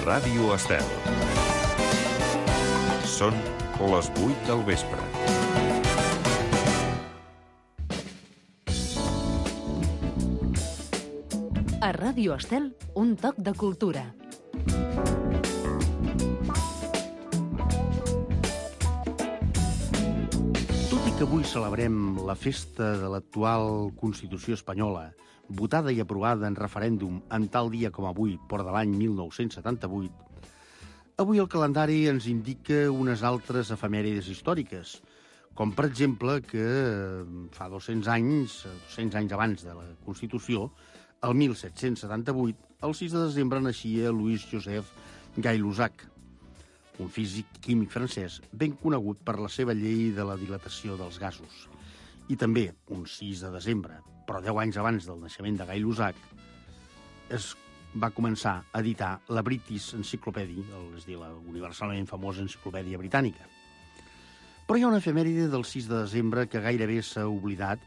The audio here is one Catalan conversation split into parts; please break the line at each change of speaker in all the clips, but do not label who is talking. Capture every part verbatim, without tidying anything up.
Ràdio Estel. Són les vuit del vespre.
A Ràdio Estel, un toc de cultura.
Tot i que avui celebrem la festa de l'actual Constitució espanyola, votada i aprovada en referèndum en tal dia com avui, però de l'any mil nou-cents setanta-vuit, avui el calendari ens indica unes altres efemèrides històriques, com per exemple que fa dos-cents anys, dos-cents anys abans de la Constitució, el mil set-cents setanta-vuit, el sis de desembre naixia Louis Joseph Gay-Lussac, un físic químic francès ben conegut per la seva llei de la dilatació dels gasos. I també, un sis de desembre, però deu anys abans del naixement de Gay-Lussac, es va començar a editar la British Encyclopedia, és a dir, la universalment famosa enciclopèdia britànica. Però hi ha una efemèride del sis de desembre que gairebé s'ha oblidat,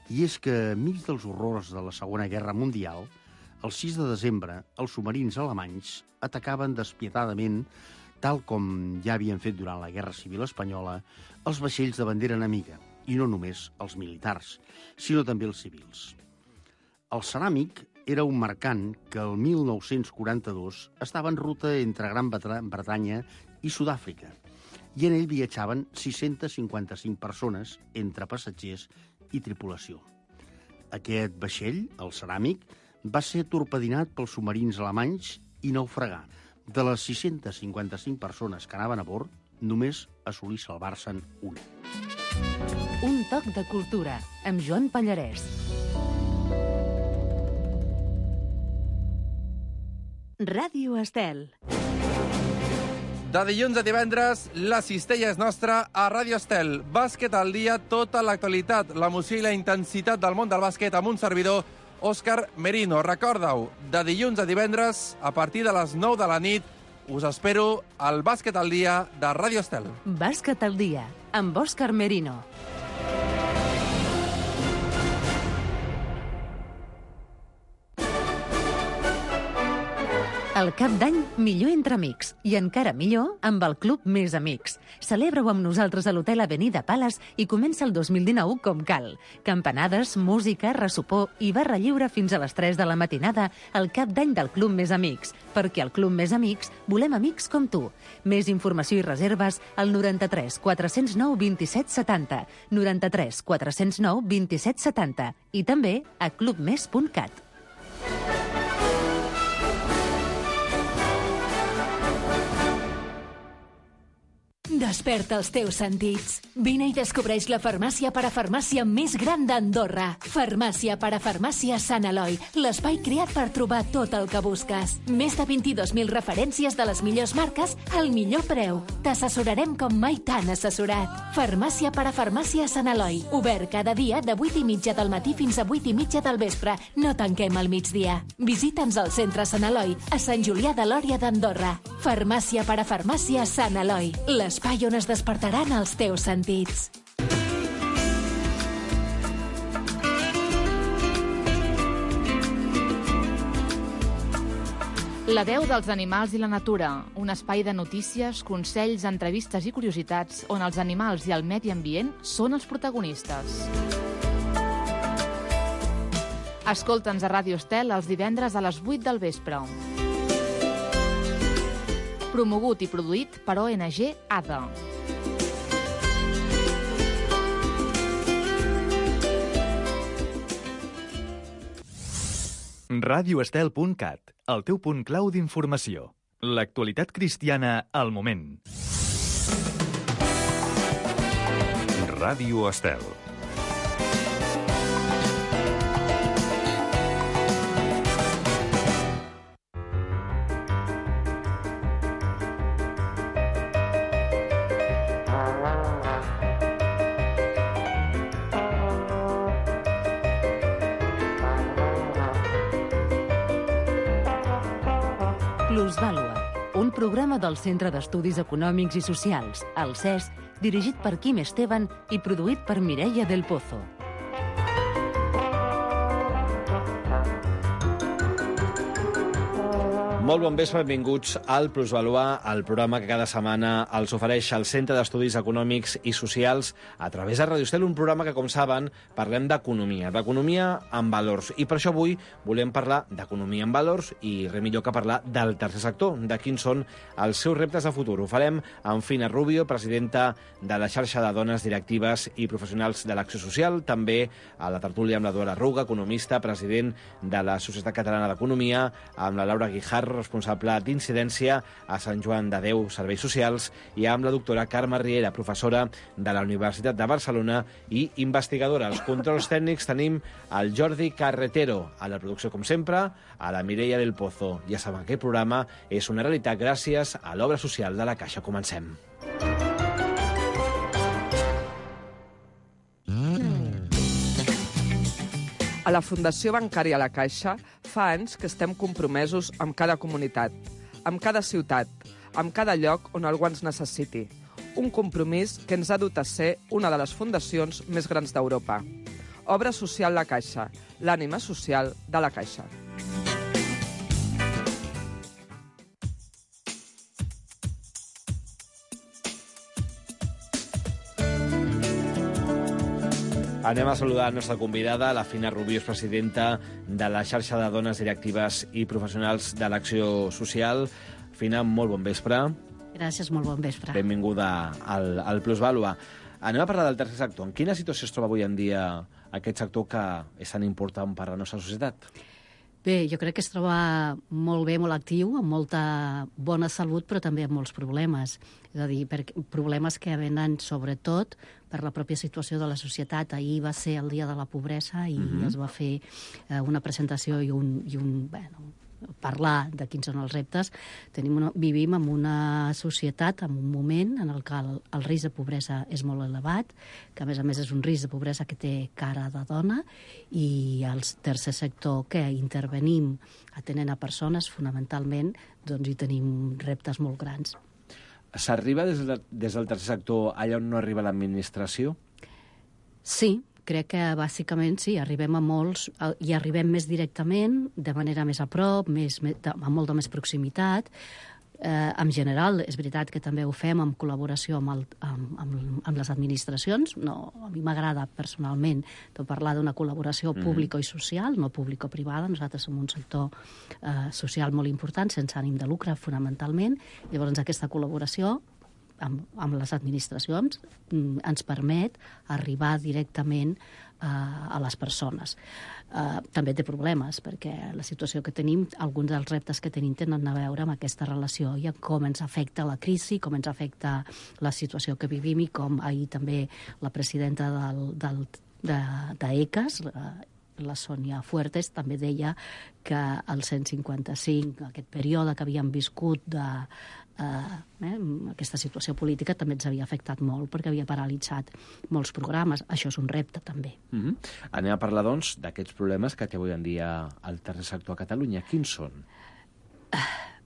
i és que, enmig dels horrors de la Segona Guerra Mundial, el sis de desembre, els submarins alemanys atacaven despietadament, tal com ja havien fet durant la Guerra Civil Espanyola, els vaixells de bandera enemiga, i no només els militars, sinó també els civils. El Ceràmic era un mercant que el mil nou-cents quaranta-dos estava en ruta entre Gran Bretanya i Sud-àfrica, i en ell viatjaven sis-centes cinquanta-cinc persones entre passatgers i tripulació. Aquest vaixell, el Ceràmic, va ser torpedinat pels submarins alemanys i naufragà. De les sis-centes cinquanta-cinc persones que anaven a bord, només assolí salvar-se'n una.
Un toc de cultura, amb Joan Pallarès. Ràdio Estel.
De dilluns a divendres, la cistella és nostra a Ràdio Estel. Bàsquet al dia, tota l'actualitat, l'emoció i la intensitat del món del bàsquet amb un servidor, Òscar Merino. Recorda-ho, de dilluns a divendres, a partir de les nou de la nit, us espero al Bàsquet al dia de Ràdio Estel.
Bàsquet al dia, amb Òscar Merino. El cap d'any, millor entre amics. I encara millor amb el Club Més Amics. Celebra-ho amb nosaltres a l'Hotel Avenida Palace i comença el dos mil dinou com cal. Campanades, música, ressopor i barra lliure fins a les tres de la matinada al cap d'any del Club Més Amics. Perquè al Club Més Amics volem amics com tu. Més informació i reserves al noranta-tres quatre-cents nou vint-i-set setanta, noranta-tres quatre-cents nou vint-i-set setanta i també a club més punt cat.
Desperta els teus sentits. Vine i descobreix la farmàcia parafarmàcia més gran d'Andorra. Farmàcia parafarmàcia Sant Eloi, l'espai creat per trobar tot el que busques. Més de vint-i-dos mil referències de les millors marques al millor preu. T'assessorarem com mai t'han assessorat. Farmàcia parafarmàcia Sant Eloi, obert cada dia de vuit i mitja del matí fins a vuit i mitja del vespre. No tanquem al migdia. Visita'ns al centre Sant Eloi, a Sant Julià de Lòria d'Andorra. Farmàcia parafarmàcia Sant Eloi, l'espai on es despertaran els teus sentits.
La veu dels animals i la natura, un espai de notícies, consells, entrevistes i curiositats on els animals i el medi ambient són els protagonistes. Escolta'ns a Ràdio Estel els divendres a les vuit del vespre. Promogut i produït per O N G A D A.
ràdio estel punt cat, el teu punt clau d'informació. L'actualitat cristiana al moment.
Ràdio Estel.
Plusvàlua, un programa del Centre d'Estudis Econòmics i Socials, el C E S, dirigit per Quim Esteban i produït per Mireia del Pozo.
Molt bon vespre, benvinguts al Plusvalua, el programa que cada setmana els ofereix el Centre d'Estudis Econòmics i Socials a través de Radio Estel, un programa que, com saben, parlem d'economia, d'economia amb valors. I per això avui volem parlar d'economia amb valors i res millor que parlar del tercer sector, de quins són els seus reptes de futur. Ho farem amb Fina Rubio, presidenta de la xarxa de dones directives i professionals de l'Acció Social, també a la tertúlia amb la Dora Ruga, economista, president de la Societat Catalana d'Economia, amb la Laura Guijarro, responsable d'incidència a Sant Joan de Déu Serveis Socials, i amb la doctora Carme Riera, professora de la Universitat de Barcelona i investigadora. Als controls tècnics tenim el Jordi Carretero, a la producció, com sempre, a la Mireia del Pozo. Ja saben que el programa és una realitat gràcies a l'obra social de la Caixa. Comencem.
A la Fundació Bancària La Caixa fa anys que estem compromesos amb cada comunitat, amb cada ciutat, amb cada lloc on algú ens necessiti. Un compromís que ens ha dut a ser una de les fundacions més grans d'Europa. Obra Social La Caixa, l'ànima social de la Caixa.
Anem a saludar la nostra convidada, la Fina Rubio, és presidenta de la xarxa de dones directives i professionals de l'Acció Social. Fina, molt bon vespre.
Gràcies, molt bon vespre.
Benvinguda al, al Plusvalua. Anem a parlar del tercer sector. En quina situació es troba avui en dia aquest sector que és tan important per a la nostra societat?
Bé, jo crec que es troba molt bé, molt actiu, amb molta bona salut, però també amb molts problemes. És a dir, per problemes que venen sobretot per la pròpia situació de la societat. Ahir va ser el dia de la pobresa i mm-hmm. es va fer eh, una presentació i un, i un bueno, parlar de quins són els reptes. Tenim una, vivim en una societat, en un moment en el que el, el risc de pobresa és molt elevat, que a més a més és un risc de pobresa que té cara de dona, i el tercer sector que intervenim atenent a persones, fonamentalment, doncs hi tenim reptes molt grans.
S'arriba des, de, des del tercer sector allà on no arriba l'administració?
Sí, crec que bàsicament sí, arribem a molts, i arribem més directament, de manera més a prop, més, amb molta més proximitat. Eh, en general, és veritat que també ho fem en col·laboració amb, el, amb, amb, amb les administracions. No, a mi m'agrada personalment de parlar d'una col·laboració mm. pública i social, no público-privada. Nosaltres som un sector eh, social molt important, sense ànim de lucre, fonamentalment. Llavors, aquesta col·laboració amb, amb les administracions mm, ens permet arribar directament eh, a les persones. Uh, també té problemes, perquè la situació que tenim, alguns dels reptes que tenim tenen a veure amb aquesta relació i amb com ens afecta la crisi, com ens afecta la situació que vivim, i com ahir també la presidenta del, del, de, de E C A S, la, la Sònia Fuertes, també deia que el cent cinquanta-cinc, aquest període que havíem viscut de eh, eh, aquesta situació política, també ens havia afectat molt perquè havia paralitzat molts programes. Això és un repte, també.
Mm-hmm. Anem a parlar, doncs, d'aquests problemes que té avui en dia el tercer sector a Catalunya. Quins són?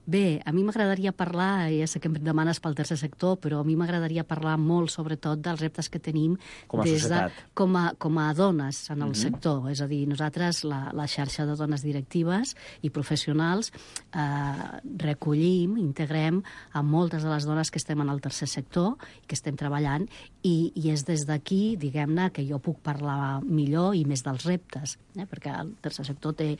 Bé, a mi m'agradaria parlar, ja sé que em demanes pel tercer sector, però a mi m'agradaria parlar molt, sobretot, dels reptes que tenim
com a
des
societat.
De, com, a, com a dones en el
mm-hmm.
sector. És a dir, nosaltres, la, la xarxa de dones directives i professionals, eh, recollim, integrem a moltes de les dones que estem en el tercer sector i que estem treballant, i, i és des d'aquí, diguem-ne, que jo puc parlar millor i més dels reptes, eh? Perquè el tercer sector té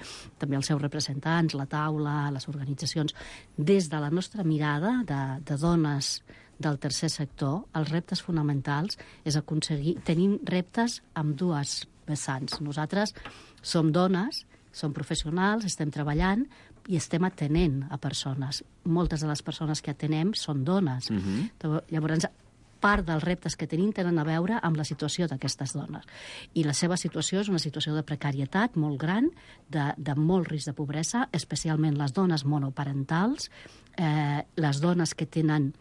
també els seus representants, la taula, les organitzacions. Des de la nostra mirada de, de dones del tercer sector, els reptes fonamentals és aconseguir... Tenim reptes amb dues vessants. Nosaltres som dones, som professionals, estem treballant i estem atenent a persones. Moltes de les persones que atenem són dones. Mm-hmm. Llavors, part dels reptes que tenim tenen a veure amb la situació d'aquestes dones. I la seva situació és una situació de precarietat molt gran, de, de molt risc de pobresa, especialment les dones monoparentals, eh, les dones que tenen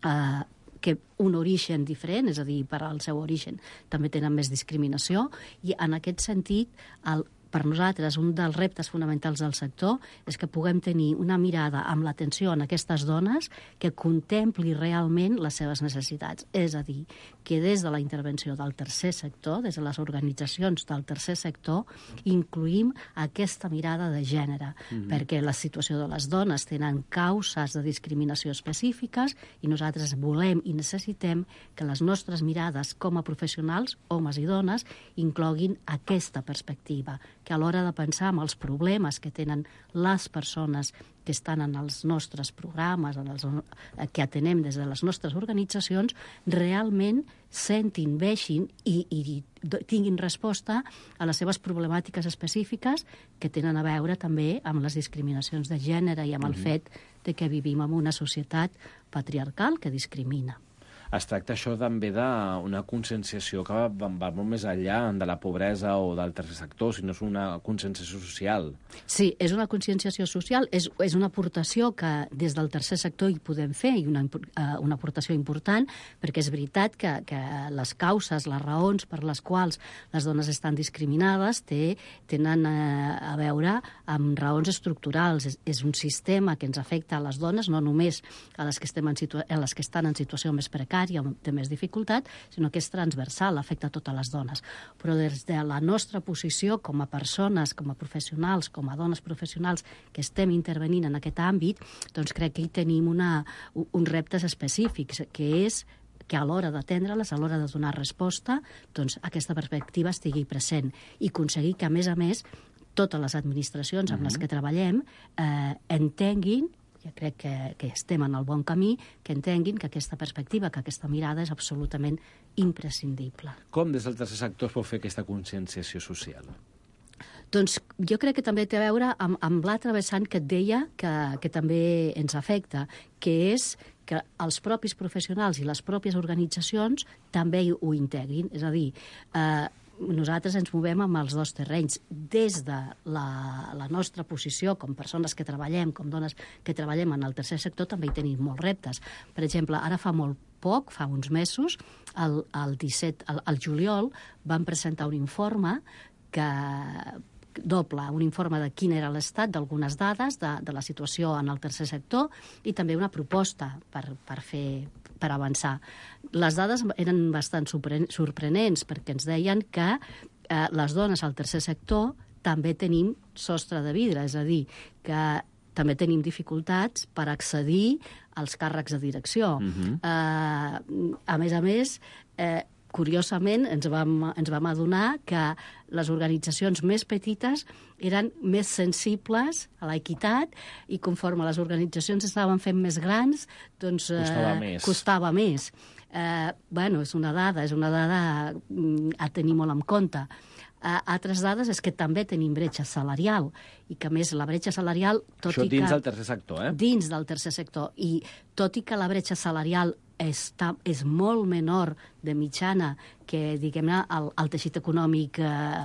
eh, que un origen diferent, és a dir, per al seu origen també tenen més discriminació, i en aquest sentit el per nosaltres, un dels reptes fonamentals del sector és que puguem tenir una mirada amb l'atenció en aquestes dones que contempli realment les seves necessitats. És a dir, que des de la intervenció del tercer sector, des de les organitzacions del tercer sector, incluïm aquesta mirada de gènere, mm-hmm. perquè la situació de les dones tenen causes de discriminació específiques i nosaltres volem i necessitem que les nostres mirades com a professionals, homes i dones, incloguin aquesta perspectiva, que a l'hora de pensar en els problemes que tenen les persones que estan en els nostres programes, en els, que atenem des de les nostres organitzacions, realment sentin, veixin i, i tinguin resposta a les seves problemàtiques específiques que tenen a veure també amb les discriminacions de gènere i amb el
Mm-hmm.
fet de que vivim en una societat patriarcal que discrimina.
Es tracta això també d'una conscienciació que va, va molt més enllà de la pobresa o del tercer sector, sinó és una conscienciació social.
Sí, és una conscienciació social, és, és una aportació que des del tercer sector hi podem fer, i una, una aportació important, perquè és veritat que, que les causes, les raons per les quals les dones estan discriminades té, tenen eh, a veure amb raons estructurals. És, és un sistema que ens afecta a les dones, no només a les que, estem en situa- a les que estan en situació més precària, de més dificultat, sinó que és transversal, afecta a totes les dones. Però des de la nostra posició com a persones, com a professionals, com a dones professionals que estem intervenint en aquest àmbit, doncs crec que hi tenim una, uns reptes específics, que és que a l'hora d'atendre-les, a l'hora de donar resposta, doncs aquesta perspectiva estigui present i aconseguir que, a més a més, totes les administracions amb les que treballem eh, entenguin, jo crec que, que estem en el bon camí, que entenguin que aquesta perspectiva, que aquesta mirada és absolutament imprescindible.
Com des del tercer sector es pot fer aquesta conscienciació social?
Doncs jo crec que també té a veure amb, amb l'altre vessant que et deia que, que també ens afecta, que és que els propis professionals i les pròpies organitzacions també ho integrin. És a dir, eh, nosaltres ens movem amb els dos terrenys. Des de la, la nostra posició com persones que treballem, com dones que treballem en el tercer sector, també hi tenim molts reptes. Per exemple, ara fa molt poc, fa uns mesos, el, el disset, el, el juliol, vam presentar un informe que doble, un informe de quin era l'estat d'algunes dades de, de la situació en el tercer sector i també una proposta per, per fer per avançar. Les dades eren bastant sorprenents perquè ens deien que eh, les dones al tercer sector també tenim sostre de vidre, és a dir, que també tenim dificultats per accedir als càrrecs de direcció. Uh-huh. eh, a més a més, eh, curiosament, ens vam, ens vam adonar que les organitzacions més petites eren més sensibles a l'equitat i conforme les organitzacions estaven fent més grans, doncs eh,
costava més.
Costava més. Eh, bueno, és una dada, és una dada a tenir molt en compte. Uh, altres dades és que també tenim bretxa salarial i que, a més, la bretxa salarial... Tot
Això
i
dins
que,
del tercer sector, eh?
Dins del tercer sector. I tot i que la bretxa salarial està, és molt menor de mitjana que, diguem-ne, el, el teixit econòmic eh,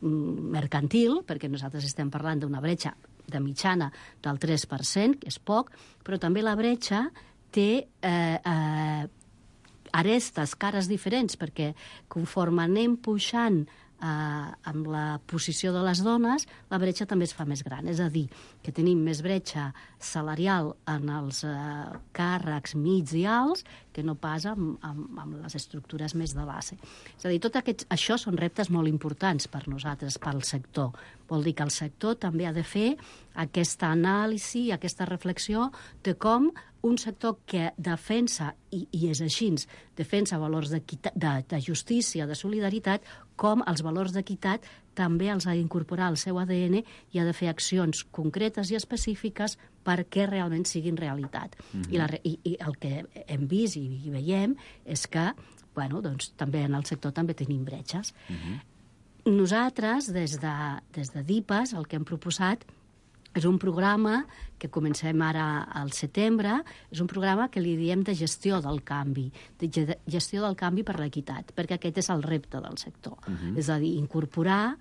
mercantil, perquè nosaltres estem parlant d'una bretxa de mitjana del tres per cent, que és poc, però també la bretxa té eh, eh, arestes, cares diferents, perquè conforme anem pujant eh, amb la posició de les dones, la bretxa també es fa més gran. És a dir, que tenim més bretxa salarial en els eh, càrrecs mig i alts que no pas amb, amb, amb les estructures més de base. És a dir, tot aquest, això són reptes molt importants per nosaltres, pel sector. Vol dir que el sector també ha de fer aquesta anàlisi, aquesta reflexió de com un sector que defensa, i, i és així, defensa valors de, de justícia, de solidaritat, com els valors d'equitat també els ha d'incorporar al seu A D N i ha de fer accions concretes i específiques perquè realment siguin realitat. Mm-hmm. I, la, i, I el que hem vist i, i veiem és que, bueno, doncs, també en el sector també tenim bretxes. Mm-hmm. Nosaltres, des de, des de DIPAS, el que hem proposat és un programa que comencem ara al setembre, és un programa que li diem de gestió del canvi, de gestió del canvi per l'equitat, perquè aquest és el repte del sector. Uh-huh. És a dir, incorporar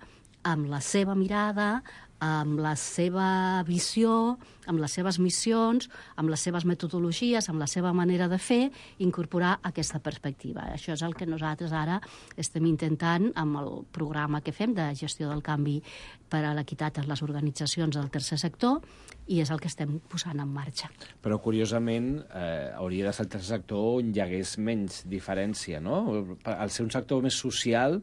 amb la seva mirada amb la seva visió, amb les seves missions, amb les seves metodologies, amb la seva manera de fer, incorporar aquesta perspectiva. Això és el que nosaltres ara estem intentant amb el programa que fem de gestió del canvi per a l'equitat en les organitzacions del tercer sector, i és el que estem posant en marxa.
Però, curiosament, eh, hauria de ser el tercer sector on hi hagués menys diferència, no? Al ser un sector més social,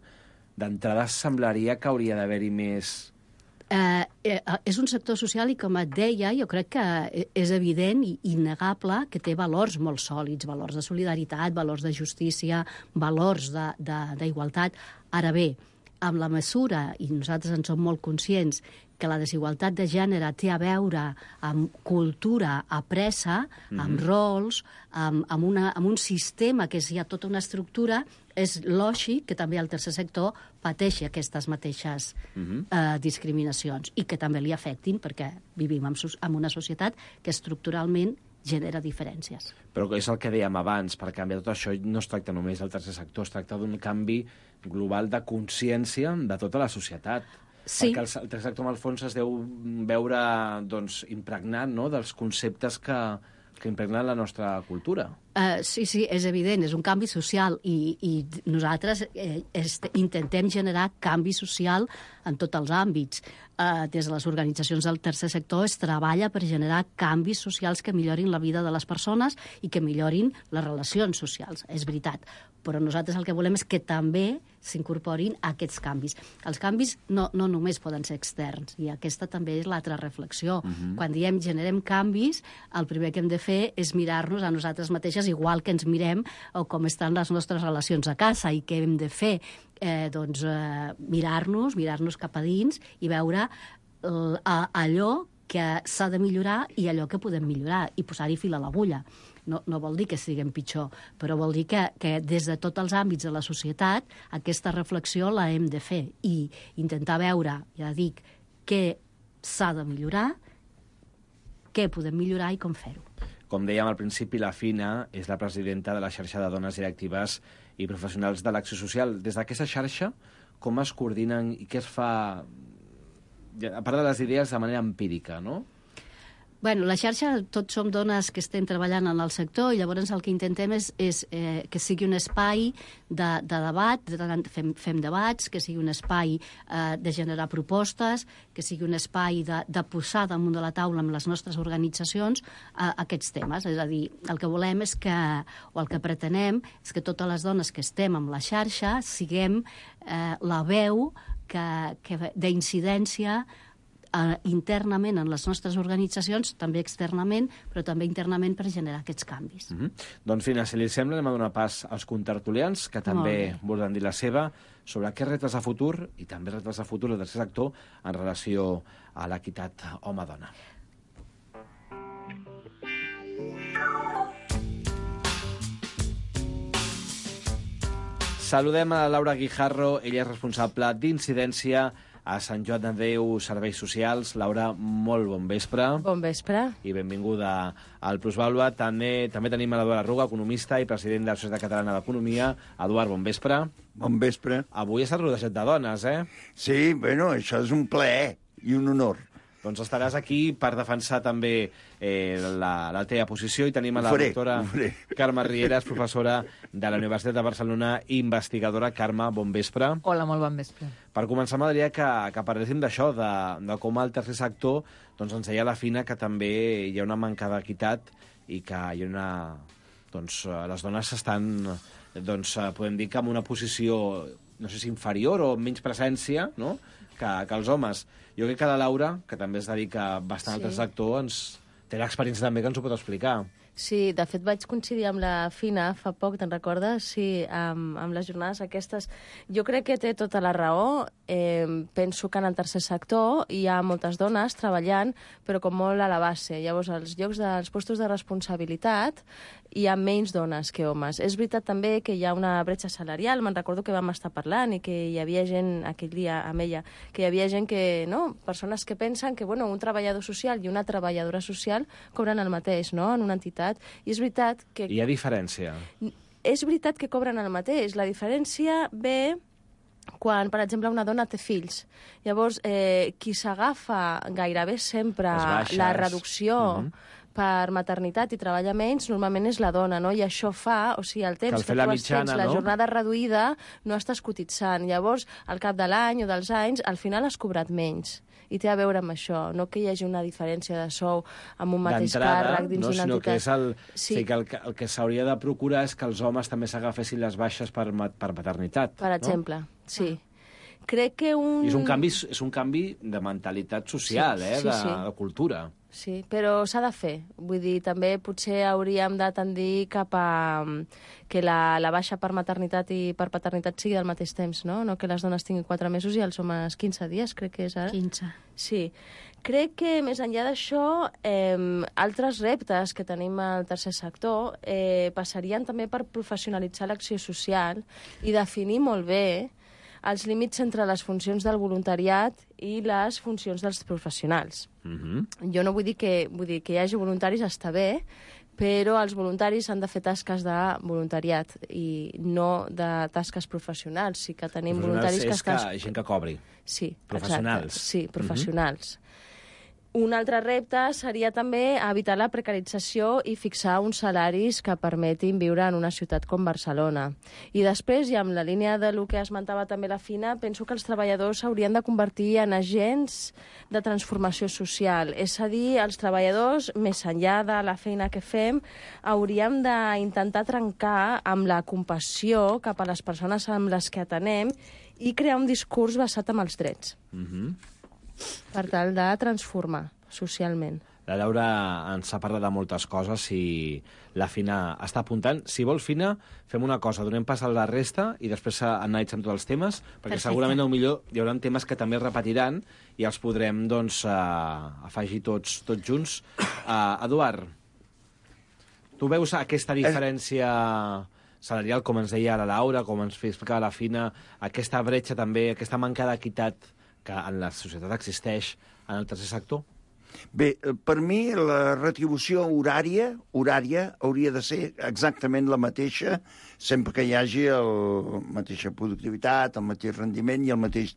d'entrada semblaria que hauria d'haver-hi més...
Eh, eh, és un sector social i, com et deia, jo crec que és evident i innegable que té valors molt sòlids, valors de solidaritat, valors de justícia, valors d'igualtat. Ara bé, amb la mesura, i nosaltres en som molt conscients, que la desigualtat de gènere té a veure amb cultura apressa, mm-hmm. amb rols, amb, amb, una, amb un sistema que és ja tota una estructura, és lògic que també el tercer sector pateixi aquestes mateixes mm-hmm. eh, discriminacions i que també li afectin, perquè vivim en, en una societat que estructuralment genera diferències.
Però és el que dèiem abans, per canviar tot això no es tracta només del tercer sector, es tracta d'un canvi global de consciència de tota la societat. Sí. Perquè el tercer sector, en el fons, es deu veure doncs, impregnat, no?, dels conceptes que, que impregnen la nostra cultura.
Uh, sí, sí, és evident, és un canvi social i, i nosaltres eh, este, intentem generar canvi social en tots els àmbits. Uh, des de les organitzacions del tercer sector es treballa per generar canvis socials que millorin la vida de les persones i que millorin les relacions socials, és veritat. Però nosaltres el que volem és que també s'incorporin aquests canvis. Els canvis no, no només poden ser externs, i aquesta també és l'altra reflexió. Uh-huh. Quan diem generem canvis, el primer que hem de fer és mirar-nos a nosaltres mateixes igual que ens mirem o com estan les nostres relacions a casa, i què hem de fer? Eh, doncs eh, mirar-nos, mirar-nos cap a dins i veure eh, allò que s'ha de millorar i allò que podem millorar, i posar-hi fil a l'agulla. No, no vol dir que siguem pitjor, però vol dir que, que des de tots els àmbits de la societat aquesta reflexió la hem de fer i intentar veure, ja dic, què s'ha de millorar, què podem millorar i com fer-ho.
Com dèiem al principi, la Fina és la presidenta de la xarxa de dones directives i professionals de l'acció social. Des d'aquesta xarxa, com es coordinen i què es fa, a part de les idees, de manera empírica, no?
Bueno, la xarxa, tots som dones que estem treballant en el sector, i llavors el que intentem és, és eh, que sigui un espai de, de debat, de, fem, fem debats, que sigui un espai eh, de generar propostes, que sigui un espai de, de posar damunt de la taula amb les nostres organitzacions eh, aquests temes. És a dir, el que volem és que, o el que pretenem, és que totes les dones que estem amb la xarxa siguem eh, la veu que, que d'incidència Uh, internament en les nostres organitzacions, també externament, però també internament per generar aquests canvis.
Mm-hmm. Doncs, Fina, si li sembla, anem a donar pas als contertulians, que també volen dir la seva, sobre què reptes de futur, i també reptes de futur del tercer sector, en relació a l'equitat home-dona. Saludem a Laura Guijarro, ella és responsable d'incidència a Sant Joan de Déu Serveis Socials. Laura, molt bon vespre.
Bon vespre.
I benvinguda al Plusvàlua. També, també tenim a l'Eduard Arruga, economista i president de la Societat Catalana d'Economia. Eduard, bon vespre.
Bon vespre.
Avui estàs rodejat de dones, eh?
Sí, bueno, això és un plaer i un honor.
Doncs estaràs aquí per defensar també eh, la, la teva posició, i tenim a la
faré,
doctora Carme Rieras, professora de la Universitat de Barcelona, investigadora. Carme, bon vespre.
Hola, molt bon vespre.
Per començar, m'agradaria que, que parléssim d'això, de, de com el tercer sector, doncs ens deia la Fina que també hi ha una manca d'equitat i que hi ha una... Doncs les dones estan, doncs, podem dir que en una posició, no sé si inferior o menys presència, no?, que, que els homes. Jo crec que la Laura, que també es dedica bastant sí. al tercer sector, ens té l'experiència també que ens ho pot explicar.
Sí, de fet vaig coincidir amb la Fina fa poc, te'n recordes? Sí, amb, amb les jornades aquestes. Jo crec que té tota la raó. Eh, penso que en el tercer sector hi ha moltes dones treballant, però com molt a la base. Llavors, als llocs dels puestos de responsabilitat hi ha menys dones que homes. És veritat també que hi ha una bretxa salarial. Me'n recordo que vam estar parlant i que hi havia gent, aquell dia amb ella, que hi havia gent que, no?, persones que pensen que, bueno, un treballador social i una treballadora social cobren el mateix, no?, en una entitat. I és veritat que...
Hi ha diferència.
És veritat que cobren el mateix. La diferència ve quan, per exemple, una dona té fills. Llavors, eh, qui s'agafa gairebé sempre la reducció uh-huh. per maternitat i treballa menys, normalment és la dona, no? I això fa, o sigui, el temps que, que tu mitjana, tens, la no? jornada reduïda, no estàs cotitzant. Llavors, al cap de l'any o dels anys, al final has cobrat menys. I té a veure amb això, no que hi hagi una diferència de sou amb un mateix càrrec dins
no,
d'una
sinó
entitat.
Que és el,
sí.
sí, que el, el que s'hauria de procurar és que els homes també s'agafessin les baixes per, per maternitat.
Per exemple, no? sí. Crec que un...
I és un canvi, és un canvi de mentalitat social, sí, eh?
sí,
de,
sí.
de cultura.
Sí, però s'ha de fer. Vull dir, també potser hauríem de tendir cap a que la, la baixa per maternitat i per paternitat sigui al mateix temps, no? No que les dones tinguin quatre mesos i els homes quinze dies, crec que és ara.
quinze.
Sí. Crec que, més enllà d'això, eh, altres reptes que tenim al tercer sector eh, passarien també per professionalitzar l'acció social i definir molt bé els límits entre les funcions del voluntariat i les funcions dels professionals.
Mm-hmm.
Jo no vull dir que, vull dir que hi hagi voluntaris, està bé, però els voluntaris han de fer tasques de voluntariat i no de tasques professionals. Sí que tenim voluntaris que estan...
És que gent que cobri.
Sí,
professionals.
Exacte. Sí, professionals. Mm-hmm. Un altre repte seria també evitar la precarització i fixar uns salaris que permetin viure en una ciutat com Barcelona. I després, i amb la línia de lo que esmentava també la Fina, penso que els treballadors s'haurien de convertir en agents de transformació social. És a dir, els treballadors, més enllà de la feina que fem, hauríem d'intentar trencar amb la compassió cap a les persones amb les que atenem i crear un discurs basat en els drets.
Mhm.
Per tal de transformar socialment.
La Laura ens ha parlat de moltes coses i la Fina està apuntant. Si vol, Fina, fem una cosa, donem pas a la resta i després analitzem tots els temes, perquè
Perfecte.
segurament potser hi haurà temes que també es repetiran i els podrem doncs, uh, afegir tots, tots junts. Uh, Eduard, tu veus aquesta diferència salarial, com ens deia la Laura, com ens explicava la Fina, aquesta bretxa també, aquesta manca d'equitat que en la societat existeix en el tercer sector?
Bé, per mi la retribució horària horària hauria de ser exactament la mateixa sempre que hi hagi la mateixa productivitat, el mateix rendiment i el mateix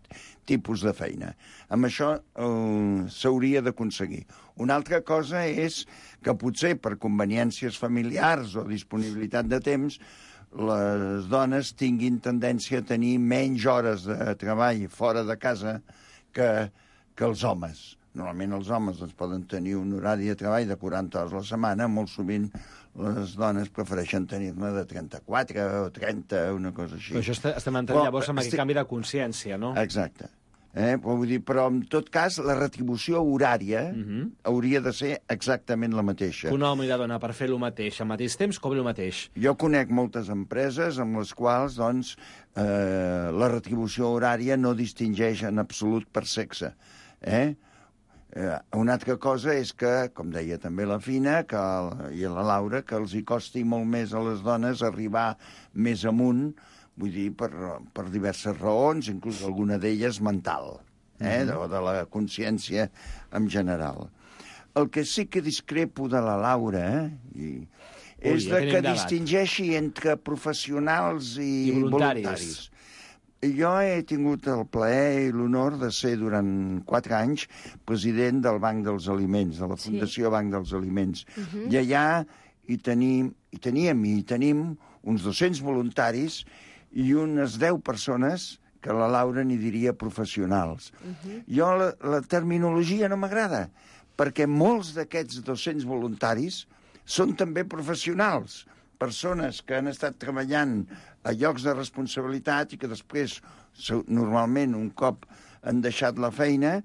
tipus de feina. Amb això eh, s'hauria d'aconseguir. Una altra cosa és que potser per conveniències familiars o disponibilitat de temps les dones tinguin tendència a tenir menys hores de treball fora de casa que, que els homes. Normalment els homes doncs, poden tenir un horari de treball de quaranta hores a la setmana, molt sovint les dones prefereixen tenir-ne de trenta-quatre o trenta, una cosa així.
Però això estem entrant
Però,
llavors amb
estic...
aquest canvi de consciència, no?
Exacte. Eh? Però, vull dir, però en tot cas la retribució horària uh-huh. hauria de ser exactament la mateixa.
Un home i la dona per fer el mateix al mateix temps cobri el mateix.
Jo conec moltes empreses amb les quals doncs, eh, la retribució horària no distingeix en absolut per sexe. Eh? Eh, una altra cosa és que, com deia també la Fina que, i la Laura, que els hi costi molt més a les dones arribar més amunt, vull dir, per, per diverses raons, inclús alguna d'elles mental, eh? Mm-hmm. o de la consciència en general. El que sí que discrepo de la Laura eh? I, Ui, és
ja
de que
debat.
distingeixi entre professionals i,
I voluntaris.
voluntaris. Jo he tingut el plaer i l'honor de ser durant quatre anys president del Banc dels Aliments, de la Fundació sí. Banc dels Aliments. Uh-huh. I allà hi tenim, hi teníem i hi tenim uns dos-cents voluntaris i unes deu persones que la Laura n'hi diria professionals. Uh-huh. Jo la, la terminologia no m'agrada, perquè molts d'aquests dos-cents voluntaris són també professionals, persones que han estat treballant a llocs de responsabilitat i que després, normalment, un cop han deixat la feina,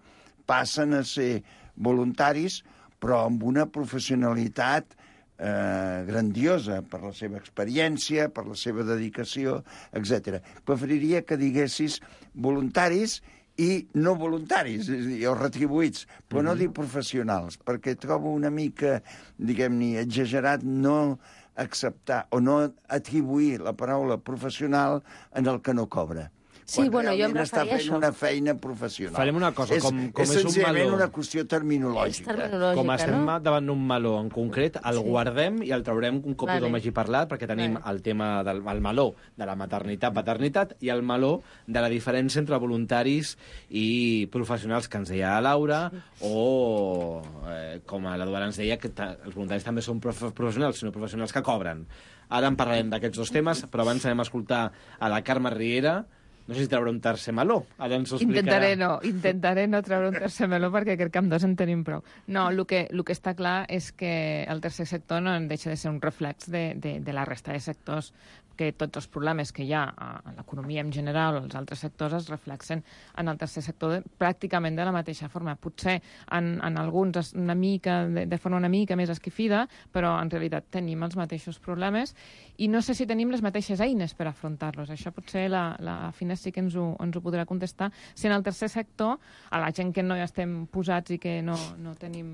passen a ser voluntaris, però amb una professionalitat eh, grandiosa per la seva experiència, per la seva dedicació, etcètera. Preferiria que diguessis voluntaris i no voluntaris, és a dir, o retribuïts, però mm-hmm. no dir professionals, perquè trobo una mica, diguem-ne, exagerat no acceptar o no atribuir la paraula professional en el que no cobra.
Sí, bueno, jo em
està
referia a
fent
això.
una feina professional.
Farem una cosa,
és,
com, com
és
és un
senzillament
meló...
una qüestió terminològica.
És terminològica,
Com estem
no?
davant d'un meló en concret, el
Sí.
guardem i el traurem un cop
Vale.
tothom hagi parlat, perquè tenim
Vale.
el tema del el meló de la maternitat, paternitat, i el meló de la diferència entre voluntaris i professionals, que ens deia la Laura, sí. o, eh, com a l'Eduard ens deia, que els voluntaris també són prof professionals, sinó professionals que cobren. Ara en parlarem d'aquests dos temes, però abans anem a escoltar a la Carme Riera. No sé si traurà un tercer meló. Ara ens ho explicarà.
Intentaré no, intentaré no treure un tercer meló perquè crec que amb dos en tenim prou. No, el que, el que està clar és que el tercer sector no en deixa de ser un reflex de, de, de la resta de sectors, que tots els problemes que hi ha a l'economia en general o als altres sectors es reflexen en el tercer sector de, pràcticament de la mateixa forma. Potser en, en alguns una mica, de, de forma una mica més esquifida, però en realitat tenim els mateixos problemes i no sé si tenim les mateixes eines per afrontar-los. Això potser la, la Fina sí que ens ho, ens ho podrà contestar. Si en el tercer sector, a la gent que no hi estem posats i que no, no tenim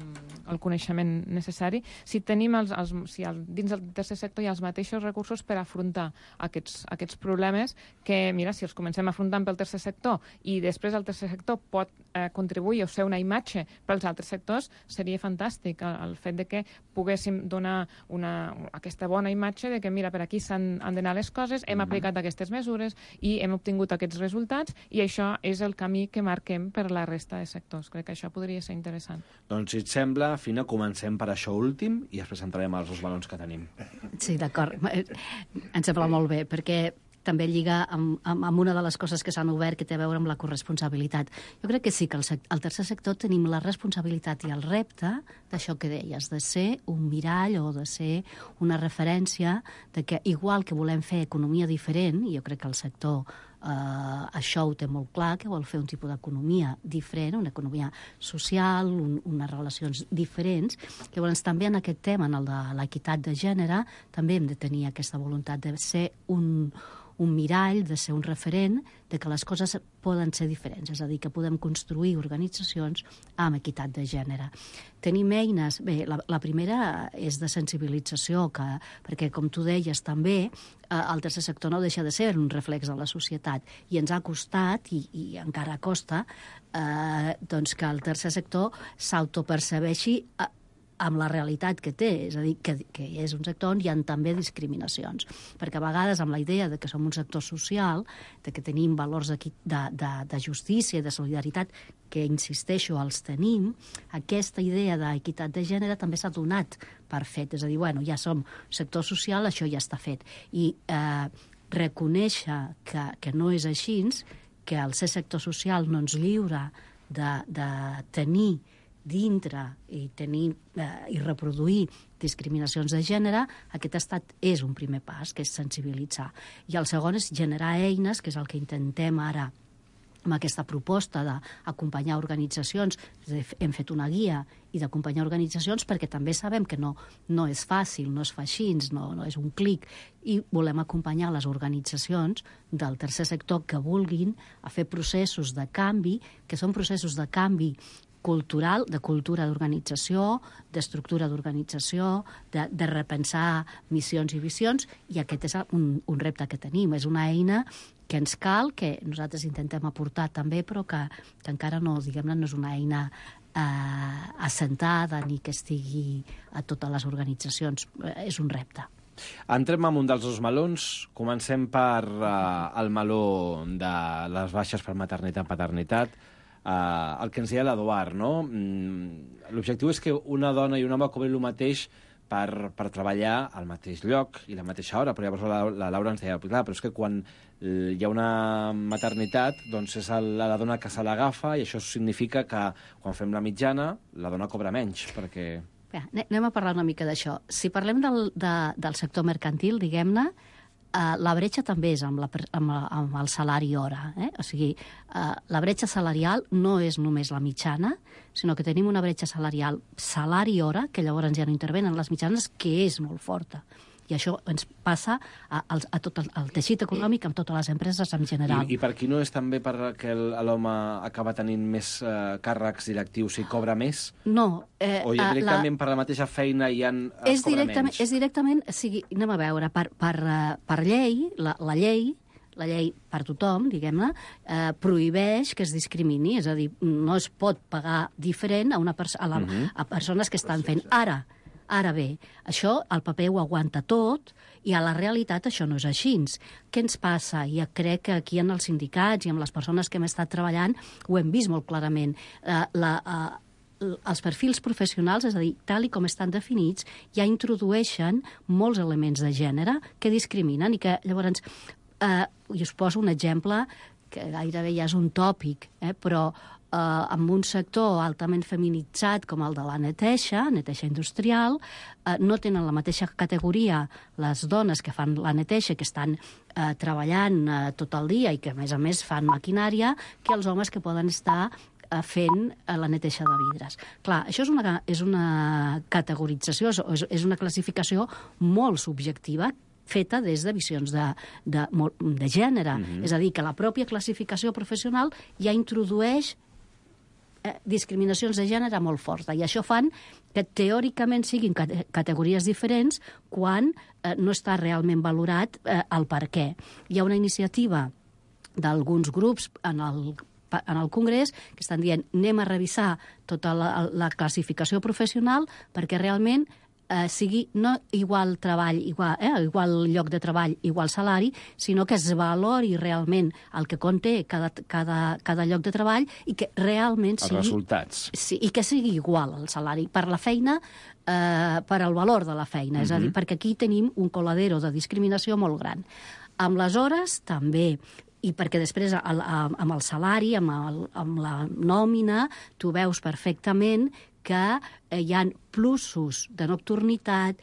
el coneixement necessari, si tenim els, els, si el, dins del tercer sector hi ha els mateixos recursos per afrontar Aquests, aquests problemes que, mira, si els comencem afrontant pel tercer sector i després el tercer sector pot eh, contribuir o ser una imatge pels altres sectors, seria fantàstic el, el fet de que poguéssim donar una, aquesta bona imatge de que, mira, per aquí s'han d'anar les coses, hem aplicat aquestes mesures i hem obtingut aquests resultats i això és el camí que marquem per la resta de sectors. Crec que això podria ser interessant.
Doncs, si et sembla, Fina, comencem per això últim i després entrarem als dos balons que tenim.
Sí, d'acord. Em sembla molt bé, perquè també lliga amb, amb, amb una de les coses que s'han obert que té a veure amb la corresponsabilitat. Jo crec que sí que el, sec el tercer sector tenim la responsabilitat i el repte d'això que deies, de ser un mirall o de ser una referència de que, igual que volem fer economia diferent, i jo crec que el sector Uh, això ho té molt clar, que vol fer un tipus d'economia diferent, una economia social, un, unes relacions diferents. Llavors, també en aquest tema, en el de l'equitat de gènere, també hem de tenir aquesta voluntat de ser un, un mirall, de ser un referent, de que les coses poden ser diferents, és a dir, que podem construir organitzacions amb equitat de gènere. Tenim eines, bé, la, la primera és de sensibilització, que, perquè, com tu deies també, eh, el tercer sector no deixa de ser un reflex de la societat, i ens ha costat, i, i encara costa, eh, doncs que el tercer sector s'autopercebeixi eh, amb la realitat que té, és a dir, que, que és un sector on hi ha també discriminacions. Perquè a vegades, amb la idea de que som un sector social, de que tenim valors de, de, de justícia i de solidaritat, que, insisteixo, els tenim, aquesta idea d'equitat de gènere també s'ha donat per fet. És a dir, bueno, ja som sector social, això ja està fet. I eh, reconèixer que, que no és així, que el ser sector social no ens lliura de, de tenir dintre i tenir eh, i reproduir discriminacions de gènere, aquest estat és un primer pas, que és sensibilitzar. I el segon és generar eines, que és el que intentem ara amb aquesta proposta d'acompanyar organitzacions. Hem fet una guia i d'acompanyar organitzacions perquè també sabem que no, no és fàcil, no es fa així, no, no és un clic, i volem acompanyar les organitzacions del tercer sector que vulguin a fer processos de canvi, que són processos de canvi cultural, de cultura d'organització, d'estructura d'organització, de, de repensar missions i visions, i aquest és un, un repte que tenim. És una eina que ens cal, que nosaltres intentem aportar també, però que, que encara no, diguem-ne, no és una eina eh, assentada ni que estigui a totes les organitzacions. Eh, és un repte.
Entrem en un dels dos melons. Comencem per uh, el meló de les baixes per maternitat-paternitat. Uh, el que ens deia l'Eduard, no? Mm, l'objectiu és que una dona i un home cobrin el mateix per, per treballar al mateix lloc i la mateixa hora, però llavors la, la Laura ens deia, clar, però és que quan hi ha una maternitat, doncs és la, la dona que se l'agafa, i això significa que quan fem la mitjana la dona cobra menys, perquè...
Bé, anem a parlar una mica d'això. Si parlem del, de, del sector mercantil, diguem-ne, Uh, la bretxa també és amb, la, amb, la, amb el salari hora. Eh? O sigui, uh, la bretxa salarial no és només la mitjana, sinó que tenim una bretxa salarial salari hora, que llavors ja no intervenen les mitjanes, que és molt forta. I això ens passa a, a, a tot el, el teixit econòmic, amb totes les empreses en general.
I, i per qui no és també perquè l'home acaba tenint més eh, càrrecs directius i cobra més?
No. Eh,
o ja directament
la...
per la mateixa feina i en es
és
cobra
directament,
menys?
És directament, o sigui, anem a veure, per, per, per llei, la, la llei, la llei per tothom, diguem-ne, eh, prohibeix que es discrimini, és a dir, no es pot pagar diferent a, una perso a, la, uh-huh. a persones que estan fent. Ara, ara bé, això el paper ho aguanta tot i a la realitat això no és així. Què ens passa? I crec que aquí en els sindicats i amb les persones que hem estat treballant ho hem vist molt clarament. Eh, la, eh, els perfils professionals, és a dir, tal i com estan definits, ja introdueixen molts elements de gènere que discriminen i que llavors, eh, i us poso un exemple que gairebé ja és un tòpic, eh, però eh, en un sector altament feminitzat com el de la neteja, neteja industrial, eh, no tenen la mateixa categoria les dones que fan la neteja, que estan eh, treballant eh, tot el dia i que, a més a més, fan maquinària, que els homes que poden estar fent la neteja de vidres. Clar, això és una, és una categorització, és, és una classificació molt subjectiva, feta des de visions de, de, de gènere. Mm-hmm. És a dir, que la pròpia classificació professional ja introdueix eh, discriminacions de gènere molt fortes. I això fan que teòricament siguin cate categories diferents quan eh, no està realment valorat eh, el per què. Hi ha una iniciativa d'alguns grups en el en el Congrés, que estan dient anem a revisar tota la, la classificació professional perquè realment eh, sigui no igual treball, igual, eh, igual lloc de treball, igual salari, sinó que es valori realment el que conté cada, cada, cada lloc de treball i que realment sigui...
Els resultats.
Sí, i que sigui igual el salari per la feina, eh, per al valor de la feina. Mm-hmm. És a dir, perquè aquí tenim un coladero de discriminació molt gran. Amb les hores, també. I perquè després, amb el salari, amb, el, amb la nòmina, tu veus perfectament que hi ha plussos de nocturnitat,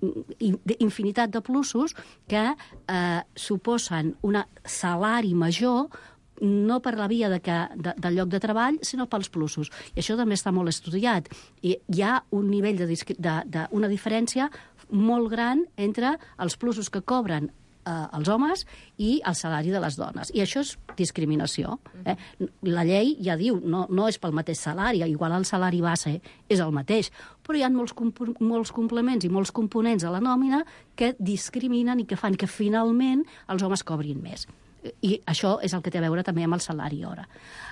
d'infinitat de plussos que eh, suposen un salari major no per la via de que, de, del lloc de treball, sinó pels plussos. I això també està molt estudiat. I hi ha un nivell de, de, de una diferència molt gran entre els plussos que cobren Eh, els homes i el salari de les dones. I això és discriminació. Eh? La llei ja diu, no, no és pel mateix salari, igual el salari base és el mateix, però hi ha molts, molts complements i molts components a la nòmina que discriminen i que fan que finalment els homes cobrin més. I això és el que té a veure també amb el salari hora.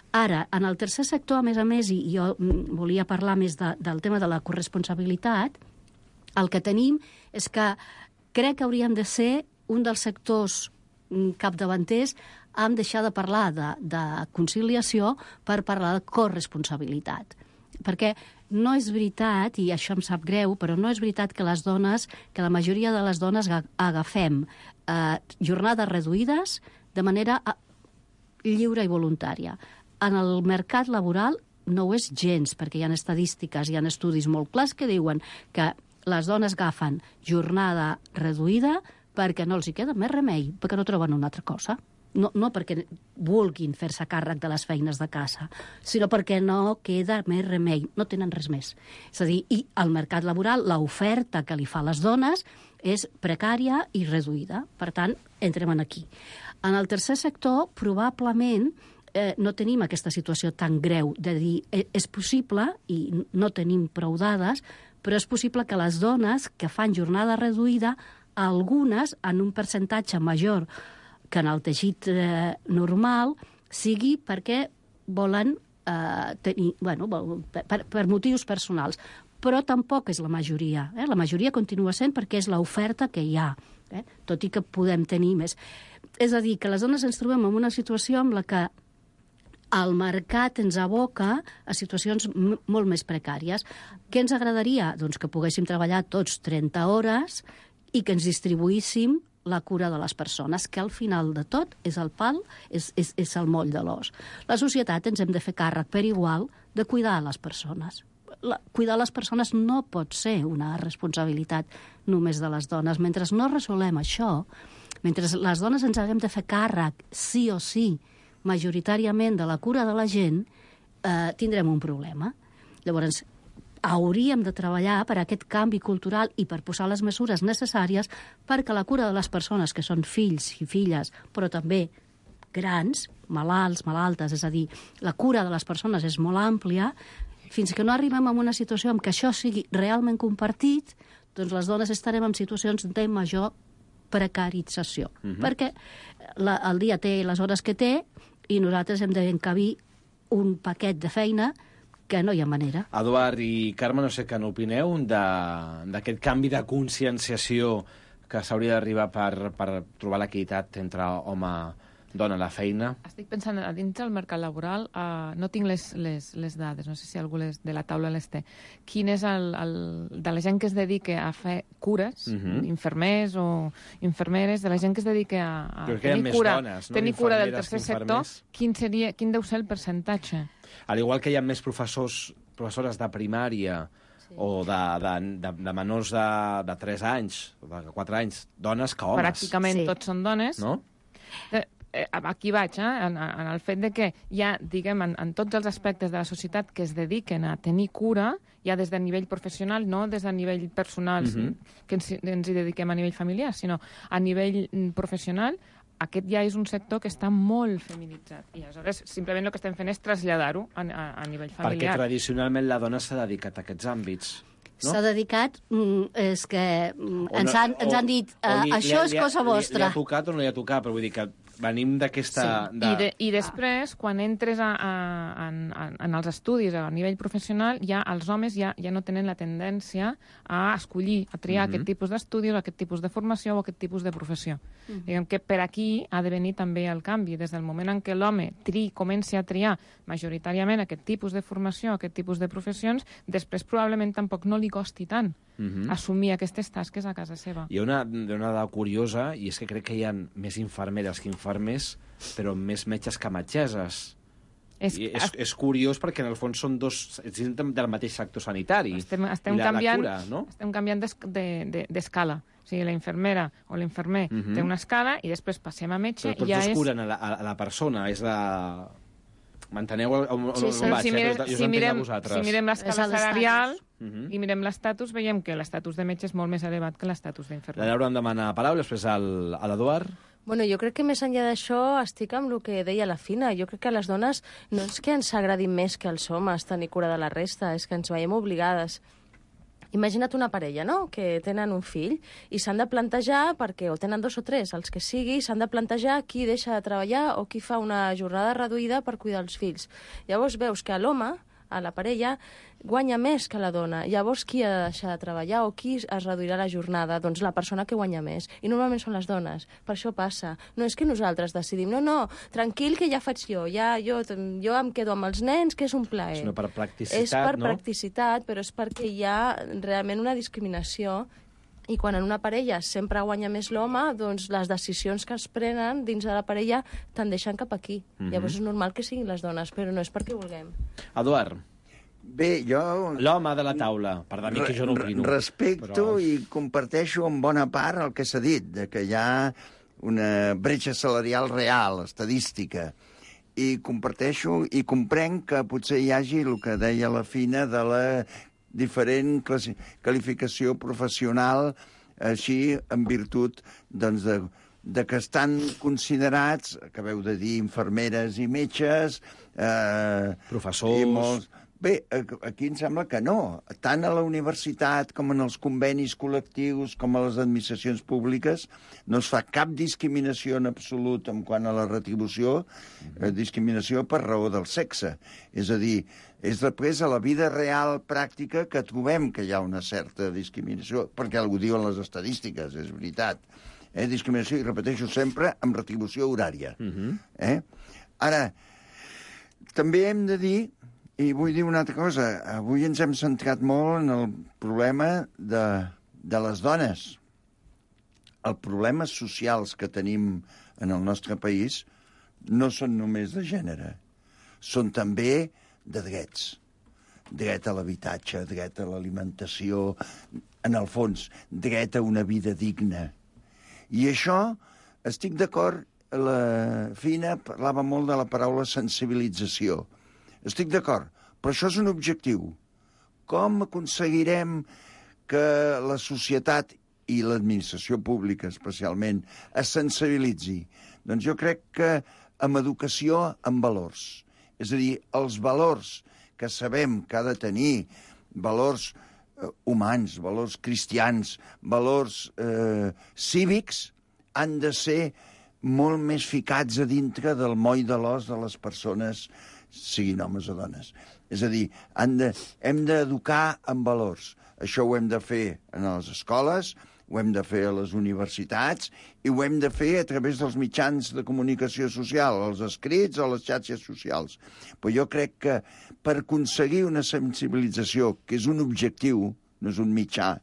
Ara, en el tercer sector, a més a més, i jo volia parlar més de, del tema de la corresponsabilitat, el que tenim és que crec que hauríem de ser un dels sectors capdavanters hem deixat de parlar de, de conciliació per parlar de corresponsabilitat. Perquè no és veritat, i això em sap greu, però no és veritat que les dones, que la majoria de les dones agafem eh, jornades reduïdes de manera lliure i voluntària. En el mercat laboral no ho és gens, perquè hi ha estadístiques, hi ha estudis molt clars que diuen que les dones agafen jornada reduïda perquè no els hi queda més remei, perquè no troben una altra cosa. No, no perquè vulguin fer-se càrrec de les feines de casa, sinó perquè no queda més remei, no tenen res més. És a dir, i al mercat laboral l'oferta que li fa a les dones és precària i reduïda. Per tant, entrem aquí. En el tercer sector, probablement, eh, no tenim aquesta situació tan greu de dir eh, és possible, i no tenim prou dades, però és possible que les dones que fan jornada reduïda algunes, en un percentatge major que en el teixit eh, normal, sigui perquè volen eh, tenir, bueno, per, per motius personals. Però tampoc és la majoria. Eh? La majoria continua sent perquè és l'oferta que hi ha, eh? Tot i que podem tenir més. És a dir, que les dones ens trobem en una situació en la que el mercat ens aboca a situacions molt més precàries. Què ens agradaria? Doncs que poguéssim treballar tots trenta hores i que ens distribuíssim la cura de les persones, que al final de tot és el pal, és, és, és el moll de l'os. La societat ens hem de fer càrrec per igual de cuidar les persones. La, cuidar les persones no pot ser una responsabilitat només de les dones. Mentre no resolem això, mentre les dones ens haguem de fer càrrec, sí o sí, majoritàriament de la cura de la gent, eh, tindrem un problema. Llavors, hauríem de treballar per aquest canvi cultural i per posar les mesures necessàries perquè la cura de les persones que són fills i filles, però també grans, malalts, malaltes, és a dir, la cura de les persones és molt àmplia, fins que no arribem a una situació en què això sigui realment compartit, doncs les dones estarem en situacions de major precarització.
Mhm.
Perquè la, el dia té les hores que té i nosaltres hem d'encabir un paquet de feina que no hi ha manera.
Eduard i Carme, no sé què n'opineu de- d'aquest canvi de conscienciació que s'hauria d'arribar per, per trobar l'equitat entre home-dona a la feina.
Estic pensant, a dins del mercat laboral, uh, no tinc les, les, les dades, no sé si algú les, de la taula les té. Quin és el, el... de la gent que es dedica a fer cures,
Mhm.
infermers o infermeres, de la gent que es dedica a, a
Crec que hi ha
tenir
més
cura,
dones, no?
tenir cura del
Infermeres que
tercer sector,
infermers.
quin, seria, quin deu ser el percentatge?
Al igual que hi ha més professors, professores de primària sí. o de, de, de, de menors de, de tres anys, o de quatre anys, dones que homes.
Pràcticament
Sí.
tots són dones.
No?
Eh, eh, aquí vaig, eh, en, en el fet de que hi ha, diguem, en, en tots els aspectes de la societat que es dediquen a tenir cura, ja des de nivell professional, no des de nivell personal,
Mhm.
sí, que ens, ens hi dediquem a nivell familiar, sinó a nivell mm, professional, aquest ja és un sector que està molt feminitzat. I aleshores, simplement el que estem fent és traslladar-ho a, a, a nivell
Perquè
familiar.
tradicionalment la dona s'ha dedicat a aquests àmbits. No?
S'ha dedicat, mm, és que mm,
O
ens,
no-
han, ens
o-
han dit,
o
uh,
li-
això
li-
és cosa
li- Li,
vostra.
li ha tocat o no li ha tocat, però vull dir que venim d'aquesta...
I, de, I després, quan entres a, a, en, en, en els estudis a nivell professional, ja els homes ja, ja no tenen la tendència a escollir, a triar
Mhm.
aquest tipus d'estudis, aquest tipus de formació o aquest tipus de professió.
Mhm.
Diguem que per aquí ha de venir també el canvi. Des del moment en què l'home tri, comenci a triar majoritàriament aquest tipus de formació, aquest tipus de professions, després probablement tampoc no li costi tant
Mhm.
assumir aquestes tasques a casa seva.
Hi ha una, una dada curiosa, i és que crec que hi ha més infermeres que infermers, però més metges que metgesses.
És-
I és, és curiós perquè, en el fons, són dos... És del mateix sector sanitari.
Estem, estem
I la,
canviant,
la cura, no?
estem canviant d'es- de- de- d'escala. O sigui, la infermera o l'infermer
Mhm.
té una escala i després passem a metge
Però tots
i ja
dos
és...
curen a la, a la persona, és la... M'enteneu on, on,
Sí,
on
sí.
vaig?
si,
eh?
mirem,
Jo us
si,
entenc a
mirem,
vosaltres.
si mirem
És
l'escala
a l'estatus.
salarial
Mhm.
i mirem l'estatus, veiem que l'estatus de metge és molt més elevat que l'estatus
La
d'infermer.
Laura em demana paraula, després al, a l'Eduard.
Bueno, jo crec que més enllà d'això estic amb el que deia la Fina. Jo crec que a les dones no és que ens agradi més que als homes tenir cura de la resta, és que ens veiem obligades. Imagina't una parella, no?, que tenen un fill i s'han de plantejar, perquè o tenen dos o tres, els que sigui, s'han de plantejar qui deixa de treballar o qui fa una jornada reduïda per cuidar els fills. Llavors veus que l'home, a la parella, guanya més que la dona. Llavors, qui ha de deixar de treballar o qui es reduirà la jornada? Doncs la persona que guanya més. I normalment són les dones. Per això passa. No és que nosaltres decidim, no, no, tranquil, que ja faig jo. Ja, jo, jo em quedo amb els nens, que és un plaer.
Sinó per practicitat,
És per
no?
practicitat, però és perquè hi ha realment una discriminació i quan en una parella sempre guanya més l'home, doncs les decisions que es prenen dins de la parella tendeixen cap aquí.
Mhm.
Llavors és normal que siguin les dones, però no és perquè vulguem.
Eduard,
Bé, jo
l'home de la taula. Perdoni que jo no opino.
respecto
però...
i comparteixo en bona part el que s'ha dit, de que hi ha una bretxa salarial real, estadística. I comparteixo i comprenc que potser hi hagi el que deia la Fina de la diferent classi- qualificació professional, així en virtut doncs, de, de que estan considerats, acabeu de dir, infermeres i metges, eh,
Professors.
i molts... Bé, aquí em sembla que no. Tant a la universitat com en els convenis col·lectius com a les administracions públiques no es fa cap discriminació en absolut en quant a la retribució, eh, discriminació per raó del sexe. És a dir, és després a la vida real pràctica que trobem que hi ha una certa discriminació, perquè algú diuen les estadístiques, és veritat. Eh, discriminació, i repeteixo sempre, amb retribució horària.
Mhm.
Eh? Ara, també hem de dir, i vull dir una altra cosa, avui ens hem centrat molt en el problema de, de les dones. Els problemes socials que tenim en el nostre país no són només de gènere, són també de drets. Dret a l'habitatge, dret a l'alimentació, en el fons, dret a una vida digna. I això, estic d'acord, la Fina parlava molt de la paraula sensibilització. Estic d'acord, però això és un objectiu. Com aconseguirem que la societat i l'administració pública, especialment, es sensibilitzi? Doncs jo crec que amb educació, amb valors. És a dir, els valors que sabem que ha de tenir, valors eh, humans, valors cristians, valors eh, cívics, han de ser molt més ficats a dintre del moll de l'os de les persones, siguin homes o dones. És a dir, han de, hem d'educar en valors. Això ho hem de fer en les escoles, ho hem de fer a les universitats i ho hem de fer a través dels mitjans de comunicació social, els escrits o les xarxes socials. Però jo crec que per aconseguir una sensibilització, que és un objectiu, no és un mitjà,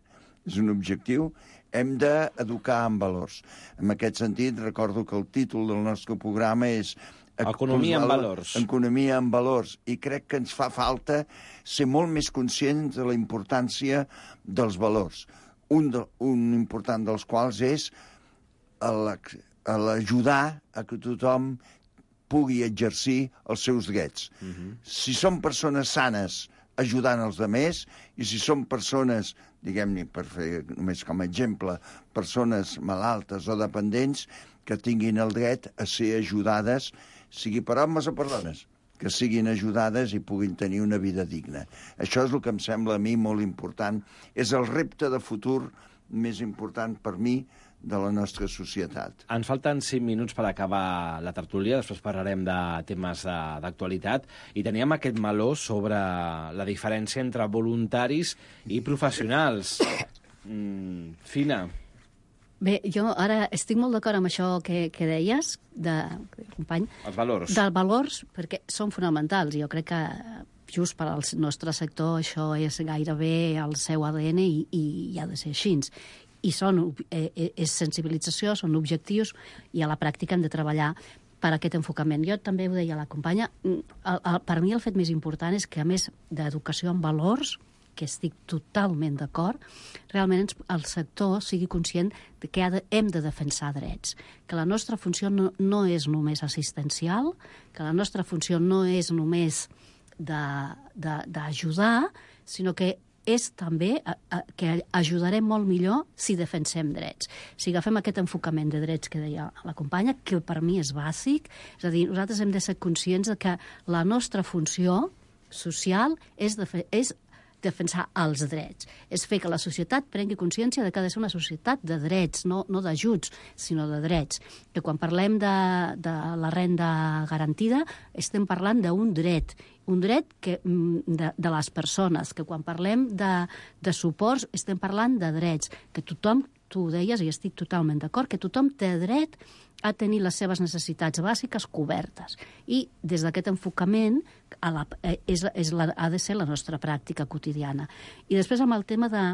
és un objectiu, hem d'educar en valors. En aquest sentit, recordo que el títol del nostre programa és
Economia en valors.
Economia en valors. I crec que ens fa falta ser molt més conscients de la importància dels valors. Un, de, un important dels quals és l'ajudar a que tothom pugui exercir els seus drets. Uh-huh. Si són persones sanes, ajudant els altres, i si són persones, diguem-ne, per fer només com a exemple, persones malaltes o dependents, que tinguin el dret a ser ajudades, sigui per homes o per dones, que siguin ajudades i puguin tenir una vida digna. Això és el que em sembla a mi molt important. És el repte de futur més important per mi de la nostra societat.
Ens falten cinc minuts per acabar la tertúlia, després parlarem de temes d'actualitat, i teníem aquest meló sobre la diferència entre voluntaris i professionals. Mm, Fina.
Bé, jo ara estic molt d'acord amb això que, que deies, de, company.
Els valors.
Dels valors, perquè són fonamentals. Jo crec que just per al nostre sector això és gairebé el seu A D N i, i ha de ser així. I són, eh, és sensibilització, són objectius, i a la pràctica hem de treballar per aquest enfocament. Jo també ho deia la companya, el, el, per mi el fet més important és que, a més d'educació en valors, que estic totalment d'acord, realment ens, el sector sigui conscient de que ha de, hem de defensar drets, que la nostra funció no, no és només assistencial, que la nostra funció no és només d'ajudar, sinó que és també a, a, que ajudarem molt millor si defensem drets. Si agafem aquest enfocament de drets que deia la companya, que per mi és bàsic, és a dir, nosaltres hem de ser conscients de que la nostra funció social és, de, és defensar els drets. És fer que la societat prengui consciència de que ha de ser una societat de drets, no, no d'ajuts, sinó de drets. Que quan parlem de, de la renda garantida estem parlant d'un dret, un dret que, de, de les persones, que quan parlem de, de suports estem parlant de drets, que tothom, tu ho deies i estic totalment d'acord, que tothom té dret a tenir les seves necessitats bàsiques cobertes. I des d'aquest enfocament a la, és, és la, ha de ser la nostra pràctica quotidiana. I després amb el tema de...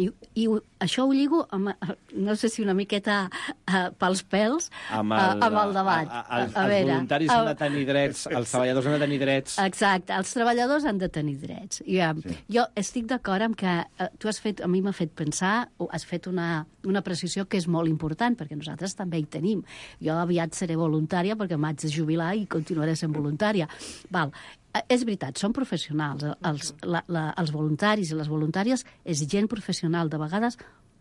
I, i això ho lligo, amb, no sé si una miqueta uh, pels pèls, amb el, uh, amb el debat.
A, a, a, a els veure, voluntaris han de tenir drets, els treballadors han de tenir drets.
Exacte, els treballadors han de tenir drets. I, uh, sí. Jo estic d'acord amb que uh, tu has fet, a mi m'ha fet pensar, o has fet una, una precisió que és molt important, perquè nosaltres també hi tenim. Jo aviat seré voluntària perquè m'haig de jubilar i continuaré sent voluntària. Val. És veritat, són professionals. Els, la, la, els voluntaris i les voluntàries és gent professional, de vegades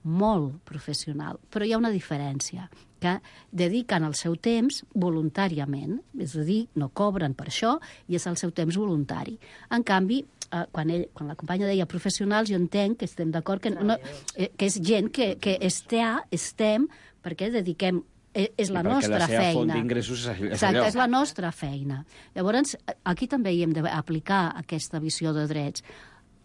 molt professional. Però hi ha una diferència, que dediquen el seu temps voluntàriament, és a dir, no cobren per això, i és el seu temps voluntari. En canvi, eh, quan, ell, quan la companya deia professionals, jo entenc que estem d'acord que, no, eh, que és gent que, que estem, estem perquè dediquem és la nostra feina. Perquè la seva
font d'ingressos és allò.
Exacte, és la nostra feina. Llavors, aquí també hi hem d'aplicar aquesta visió de drets.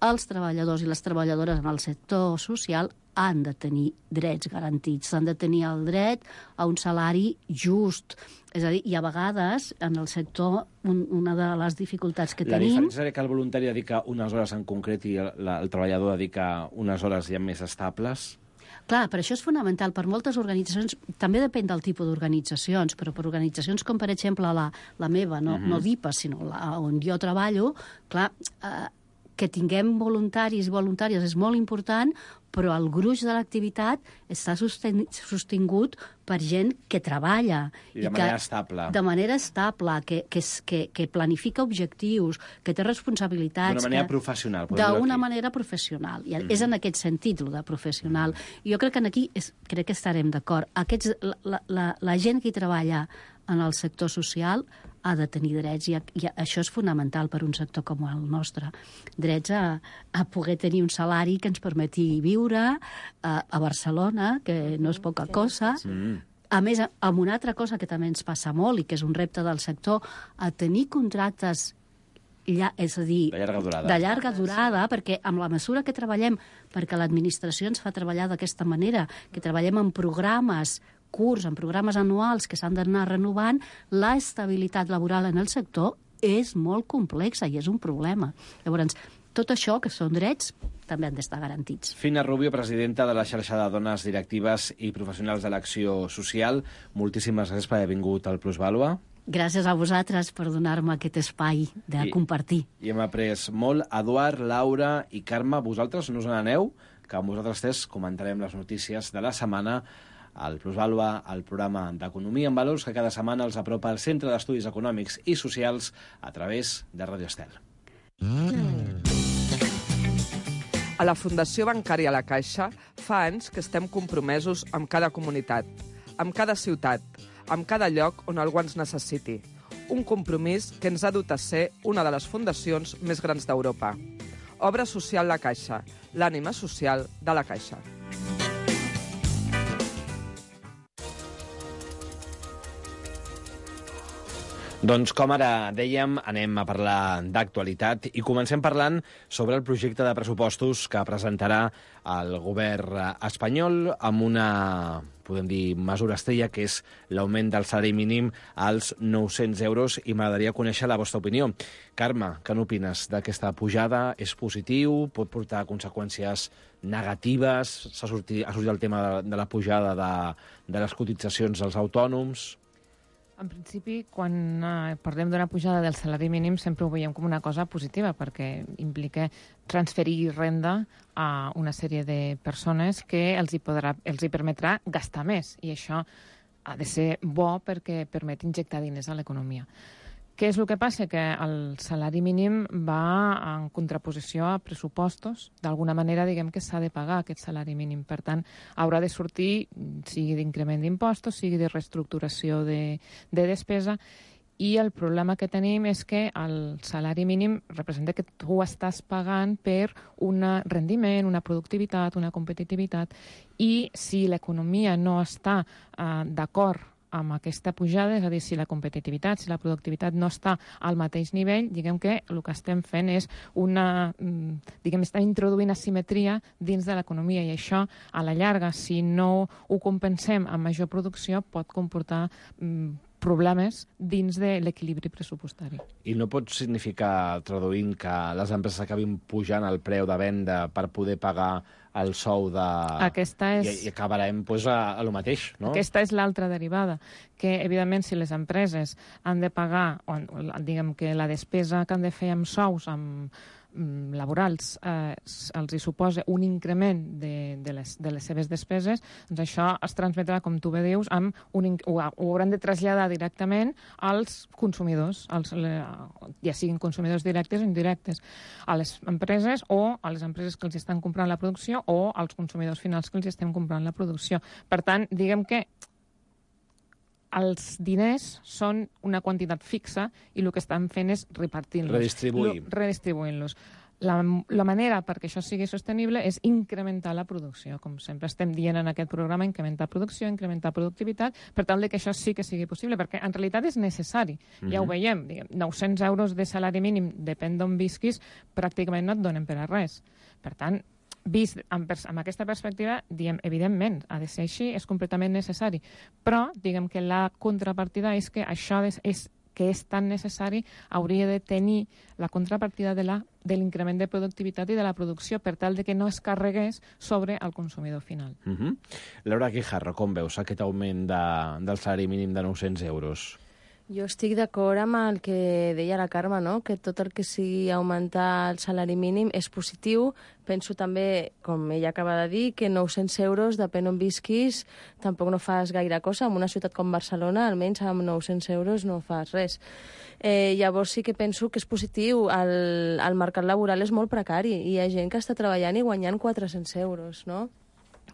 Els treballadors i les treballadores en el sector social han de tenir drets garantits, han de tenir el dret a un salari just. És a dir, i a vegades, en el sector, un, una de les dificultats que
la
tenim...
La diferència és que el voluntari dedica unes hores en concret i el, el treballador dedica unes hores ja més estables?
Clar, per això és fonamental. Per moltes organitzacions, també depèn del tipus d'organitzacions, però per organitzacions com, per exemple, la, la meva, no, uh-huh. no D I P A, sinó la, on jo treballo, clar, eh, que tinguem voluntaris i voluntàries és molt important, però el gruix de l'activitat està sosten sostingut per gent que treballa.
I de
i
manera
que,
estable.
De manera estable, que, que, que, que planifica objectius, que té responsabilitats...
D'una manera
que,
professional.
D'una manera professional. I mm. és en aquest sentit, el de professional. Mm. Jo crec que aquí és, crec que estarem d'acord. La, la, la, la gent que hi treballa en el sector social ha de tenir drets, i, i això és fonamental per un sector com el nostre. Drets a, a poder tenir un salari que ens permeti viure a, a Barcelona, que no és poca cosa, mm. A més, amb una altra cosa que també ens passa molt i que és un repte del sector, a tenir contractes ja, és a dir,
de llarga durada.
de llarga durada, perquè amb la mesura que treballem, perquè l'administració ens fa treballar d'aquesta manera, que treballem en programes curts, en programes anuals que s'han d'anar renovant, la estabilitat laboral en el sector és molt complexa i és un problema. Llavors, tot això, que són drets, també han d'estar garantits.
Fina Rubio, presidenta de la xarxa de dones directives i professionals de l'acció social, moltíssimes gràcies per haver vingut al Plusvàlua.
Gràcies a vosaltres per donar-me aquest espai de
I,
compartir.
I hem après molt. Eduard, Laura i Carme, vosaltres no us n'aneu, que amb vosaltres tres comentarem les notícies de la setmana al Plusvàlua, el programa d'Economia en Valors, que cada setmana els apropa al Centre d'Estudis Econòmics i Socials a través de Radio Estel.
A la Fundació Bancària La Caixa fa anys que estem compromesos amb cada comunitat, amb cada ciutat, amb cada lloc on algú ens necessiti. Un compromís que ens ha dut a ser una de les fundacions més grans d'Europa. Obra Social La Caixa, l'ànima social de La Caixa.
Doncs com ara dèiem, anem a parlar d'actualitat i comencem parlant sobre el projecte de pressupostos que presentarà el govern espanyol amb una, podem dir, mesura estrella, que és l'augment del salari mínim als nou-cents euros, i m'agradaria conèixer la vostra opinió. Carme, què n'opines d'aquesta pujada? És positiu? Pot portar conseqüències negatives? S'ha sortit, ha sortit el tema de, de la pujada de, de les cotitzacions dels autònoms?
En principi, quan eh, parlem d'una pujada del salari mínim, sempre ho veiem com una cosa positiva, perquè implica transferir renda a una sèrie de persones que els hi, podrà, els hi permetrà gastar més, i això ha de ser bo perquè permet injectar diners a l'economia. Què és el que passa? Que el salari mínim va en contraposició a pressupostos. D'alguna manera, diguem que s'ha de pagar aquest salari mínim. Per tant, haurà de sortir, sigui d'increment d'impostos, sigui de reestructuració de, de despesa, i el problema que tenim és que el salari mínim representa que tu estàs pagant per un rendiment, una productivitat, una competitivitat, i si l'economia no està eh, d'acord amb aquesta pujada, és a dir, si la competitivitat, si la productivitat no està al mateix nivell, diguem que el que estem fent és una, diguem, estem introduint asimetria dins de l'economia, i això, a la llarga, si no ho compensem amb major producció, pot comportar mm, problemes dins de l'equilibri pressupostari.
I no pot significar, traduint, que les empreses acabin pujant el preu de venda per poder pagar el sou de...
Aquesta és...
I, i acabarem pues, a, a lo mateix, no?
Aquesta és l'altra derivada, que, evidentment, si les empreses han de pagar, o, diguem que la despesa que han de fer amb sous, amb laborals, eh, els hi suposa un increment de, de, les, de les seves despeses, doncs això es transmetrà, com tu bé dius, amb un, ho, ho hauran de traslladar directament als consumidors, als, ja siguin consumidors directes o indirectes, a les empreses o a les empreses que els estan comprant la producció o als consumidors finals que els estem comprant la producció. Per tant, diguem que els diners són una quantitat fixa i el que estan fent és repartir-los.
Redistribuir.
Redistribuint-los. La, la manera perquè això sigui sostenible és incrementar la producció. Com sempre estem dient en aquest programa, incrementar producció, incrementar productivitat, per tal que això sí que sigui possible, perquè en realitat és necessari. Mm-hmm. Ja ho veiem, diguem, nou-cents euros de salari mínim, depèn d'on visquis, pràcticament no et donen per a res. Per tant, vist amb, amb aquesta perspectiva, diem, evidentment, ha de ser així, és completament necessari. Però, diguem que la contrapartida és que això és, és que és tan necessari, hauria de tenir la contrapartida de la, de l'increment de productivitat i de la producció, per tal de que no es carregués sobre el consumidor final.
Uh-huh. Laura Guijarro, com veus aquest augment de, del salari mínim de nou-cents euros?
Jo estic d'acord amb el que deia la Carme, no? Que tot el que sigui augmentar el salari mínim és positiu. Penso també, com ella acaba de dir, que nou-cents euros, depèn on visquis, tampoc no fas gaire cosa. En una ciutat com Barcelona, almenys amb nou-cents euros no fas res. Eh, llavors sí que penso que és positiu. El, el mercat laboral és molt precari i hi ha gent que està treballant i guanyant quatre-cents euros, no?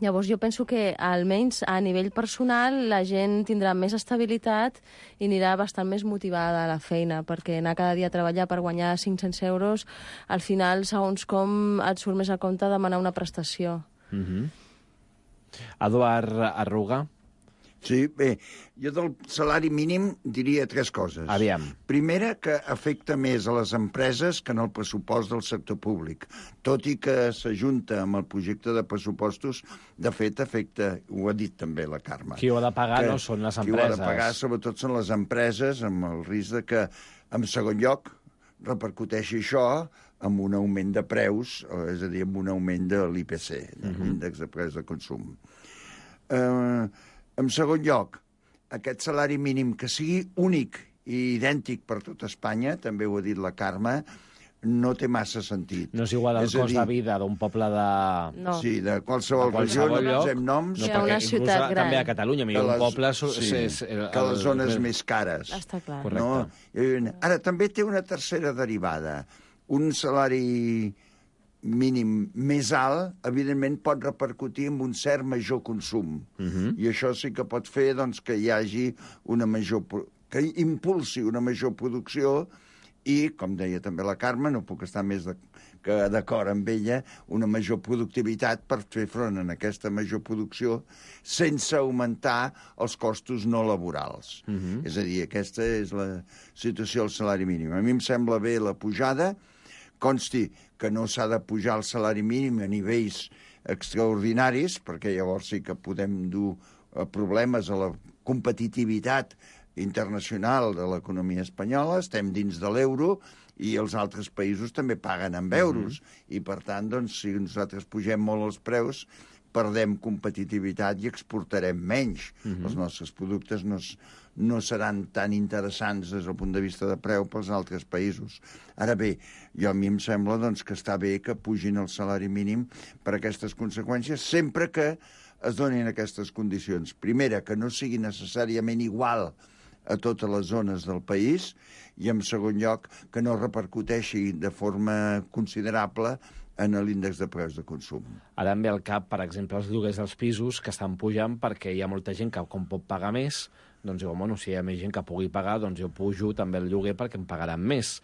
Llavors jo penso que almenys a nivell personal la gent tindrà més estabilitat i anirà bastant més motivada a la feina, perquè anar cada dia a treballar per guanyar cinc-cents euros, al final, segons com et surt més a compte demanar una prestació.
Mm-hmm. Eduard Arruga?
Sí, bé, jo del salari mínim diria tres coses.
Aviam.
Primera, que afecta més a les empreses que en el pressupost del sector públic. Tot i que s'ajunta amb el projecte de pressupostos, de fet, afecta, ho ha dit també la Carme.
Qui ho ha de pagar no són les empreses.
Qui ho ha de pagar, sobretot, són les empreses, amb el risc de que, en segon lloc, repercuteixi això amb un augment de preus, és a dir, amb un augment de l'I P C, de l'índex de preus de consum. Eh... En segon lloc, aquest salari mínim que sigui únic i idèntic per tot Espanya, també ho ha dit la Carme, no té massa sentit.
No és igual el cost de vida d'un poble de...
No.
Sí, de qualsevol regió, no posem noms.
No, una ciutat gran.
També a Catalunya, millor un poble...
Sí, que les zones més cares.
Està clar.
No? Ara, també té una tercera derivada. Un salari mínim més alt, evidentment pot repercutir en un cert major consum. Uh-huh. I això sí que pot fer doncs, que hi hagi una major... que impulsi una major producció i, com deia també la Carme, no puc estar més de, que d'acord amb ella, una major productivitat per fer front a aquesta major producció sense augmentar els costos no laborals. Uh-huh. És a dir, aquesta és la situació del salari mínim. A mi em sembla bé la pujada. Consti que no s'ha de pujar el salari mínim a nivells extraordinaris, perquè llavors sí que podem dur problemes a la competitivitat internacional de l'economia espanyola. Estem dins de l'euro i els altres països també paguen amb euros. Mm-hmm. I, per tant, doncs, si nosaltres pugem molt els preus, perdem competitivitat i exportarem menys. Mm-hmm. Els nostres productes no, no seran tan interessants des del punt de vista de preu pels altres països. Ara bé, jo a mi em sembla doncs, que està bé que pugin el salari mínim per aquestes conseqüències, sempre que es donin aquestes condicions. Primera, que no sigui necessàriament igual a totes les zones del país, i en segon lloc, que no repercuteixi de forma considerable en l'índex de preus de consum.
Ara em ve al cap, per exemple, els lloguers dels pisos que estan pujant perquè hi ha molta gent que, com pot pagar més, doncs diu, bueno, si hi ha més gent que pugui pagar, doncs jo pujo també el lloguer perquè em pagaran més.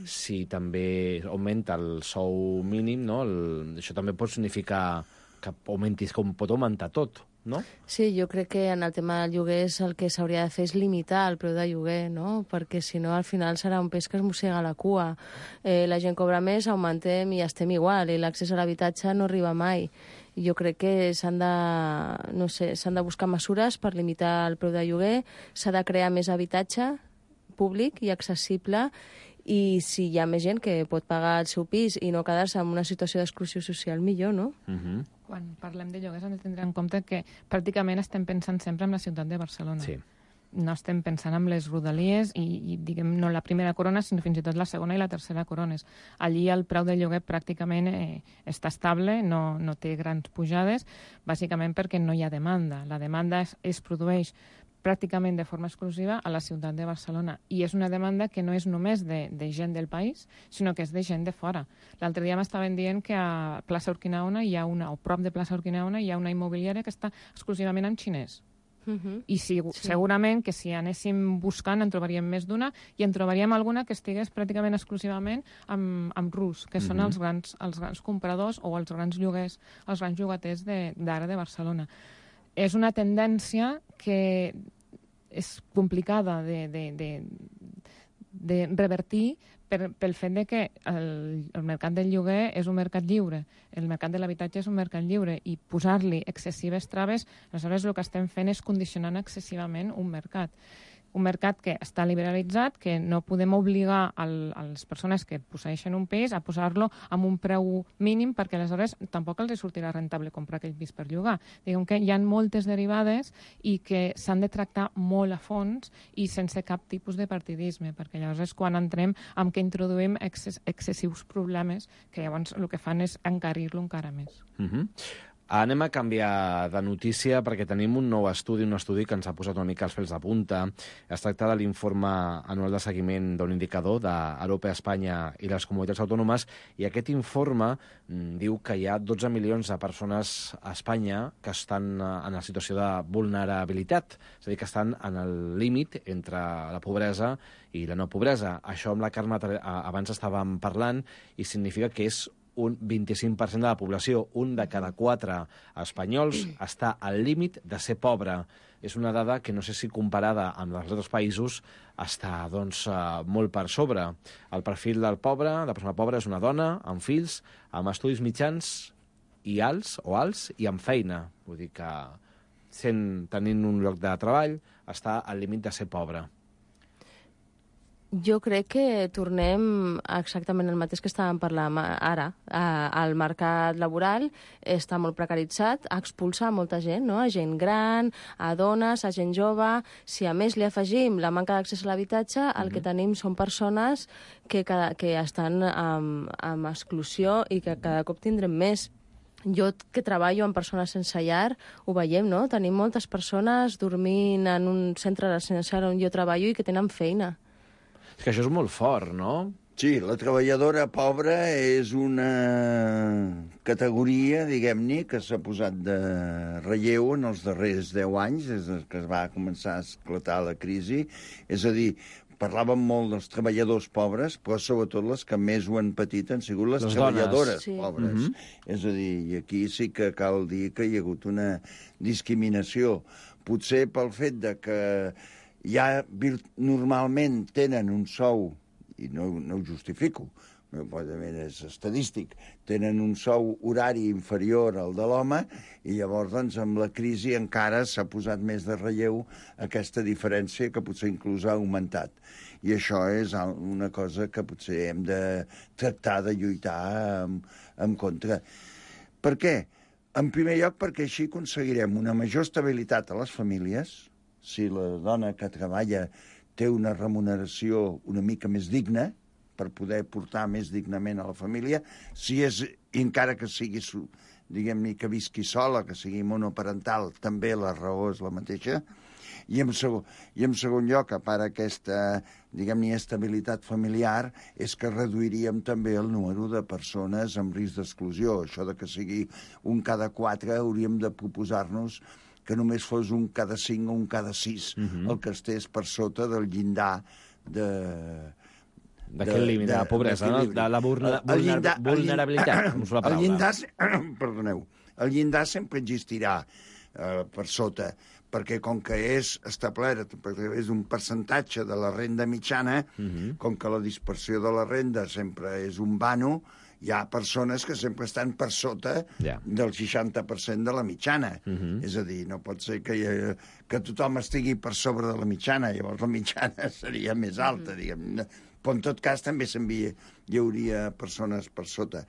Si també augmenta el sou mínim, no? El, això també pot significar que augmentis, com pot augmentar tot, no?
Sí, jo crec que en el tema del lloguer el que s'hauria de fer és limitar el preu de lloguer, no? Perquè si no al final serà un peix que es mossega la cua. Eh, la gent cobra més, augmentem i estem igual, i l'accés a l'habitatge no arriba mai. Jo crec que s'han de, no sé, s'han de buscar mesures per limitar el preu de lloguer, s'ha de crear més habitatge públic i accessible, i si hi ha més gent que pot pagar el seu pis i no quedar-se en una situació d'exclusió social, millor, no?
Uh-huh.
Quan parlem de lloguers hem de tindre en compte que pràcticament estem pensant sempre en la ciutat de Barcelona.
Sí.
No estem pensant en les rodalies i, i diguem, no la primera corona, sinó fins i tot la segona i la tercera corones. Allí el preu del lloguer pràcticament eh, està estable, no, no té grans pujades, bàsicament perquè no hi ha demanda. La demanda es, es produeix pràcticament de forma exclusiva a la ciutat de Barcelona. I és una demanda que no és només de, de gent del país, sinó que és de gent de fora. L'altre dia m'estaven dient que a plaça Urquinaona hi ha una, o prop de plaça Urquinaona hi ha una immobiliària que està exclusivament en xinès. Uh-huh. I si, sí. segurament que si anéssim buscant en trobaríem més d'una i en trobaríem alguna que estigués pràcticament exclusivament amb, amb rus, que uh-huh. són els grans, els grans compradors o els grans lloguers, els grans llogaters d'ara de, de Barcelona. És una tendència que és complicada de, de, de, de revertir per, pel fet de que el, el mercat del lloguer és un mercat lliure, el mercat de l'habitatge és un mercat lliure, i posar-li excessives traves, aleshores el que estem fent és condicionant excessivament un mercat. Un mercat que està liberalitzat, que no podem obligar al, a les persones que posseeixen un pis a posar-lo amb un preu mínim, perquè aleshores tampoc els sortirà rentable comprar aquell pis per llogar. Diguem que hi ha moltes derivades i que s'han de tractar molt a fons i sense cap tipus de partidisme, perquè llavors és quan entrem amb que introduïm excess, excessius problemes que llavors el que fan és encarir-lo encara més.
Mhm. Anem a canviar de notícia perquè tenim un nou estudi, un estudi que ens ha posat una mica els pèls de punta. Es tracta de l'informe anual de seguiment d'un indicador d'Europa, Espanya i les comunitats autònomes, i aquest informe diu que hi ha dotze milions de persones a Espanya que estan en la situació de vulnerabilitat, és a dir, que estan en el límit entre la pobresa i la no pobresa. Això amb la Carme abans estàvem parlant i significa que és un vint-i-cinc per cent de la població. Un de cada quatre espanyols està al límit de ser pobre. És una dada que no sé si comparada amb els altres països està doncs, molt per sobre. El perfil del pobre, la persona pobra, és una dona amb fills, amb estudis mitjans i alts o alts i amb feina. Vull dir que sent, tenint un lloc de treball està al límit de ser pobre.
Jo crec que tornem exactament el mateix que estàvem parlant ara. El mercat laboral està molt precaritzat, expulsa molta gent, no? A gent gran, a dones, a gent jove. Si a més li afegim la manca d'accés a l'habitatge, el que tenim són persones que, que estan amb, amb exclusió i que cada cop tindrem més. Jo, que treballo amb persones sense llar, ho veiem, no? Tenim moltes persones dormint en un centre residencial on jo treballo i que tenen feina.
És que això és molt fort, no?
Sí, la treballadora pobra és una categoria, diguem-ne, que s'ha posat de relleu en els darrers deu anys, des que es va començar a esclatar la crisi. És a dir, parlàvem molt dels treballadors pobres, però sobretot les que més ho han patit han sigut les, les treballadores sí. pobres. Mm-hmm. És a dir, i aquí sí que cal dir que hi ha hagut una discriminació. Potser pel fet de que ja normalment tenen un sou, i no, no ho justifico, probablement és estadístic, tenen un sou horari inferior al de l'home i llavors doncs, amb la crisi encara s'ha posat més de relleu aquesta diferència que potser inclús ha augmentat. I això és una cosa que potser hem de tractar de lluitar en, en contra. Per què? En primer lloc perquè així aconseguirem una major estabilitat a les famílies. Si la dona que treballa té una remuneració una mica més digna, per poder portar més dignament a la família, si és, encara que sigui, diguem-ne, que visqui sola, que sigui monoparental, també la raó és la mateixa. I en segon, i en segon lloc, a part aquesta, diguem-ne, estabilitat familiar, és que reduiríem també el número de persones amb risc d'exclusió. Això de que sigui un cada quatre, hauríem de proposar-nos que només fos un cada cinc o un cada sis, uh-huh. el que estés per sota del llindar de...
D'aquest límit, de la pobresa, no? De la vulner, el llindar, vulnerabilitat, com és la paraula.
El llindar, perdoneu, el llindar sempre existirà eh, per sota, perquè com que és establert a través d'un percentatge de la renda mitjana, uh-huh. com que la dispersió de la renda sempre és un vano, hi ha persones que sempre estan per sota yeah. del seixanta per cent de la mitjana. Uh-huh. És a dir, no pot ser que, que tothom estigui per sobre de la mitjana, llavors la mitjana seria més alta, uh-huh. diguem. Però en tot cas també s'envia, hi hauria persones per sota.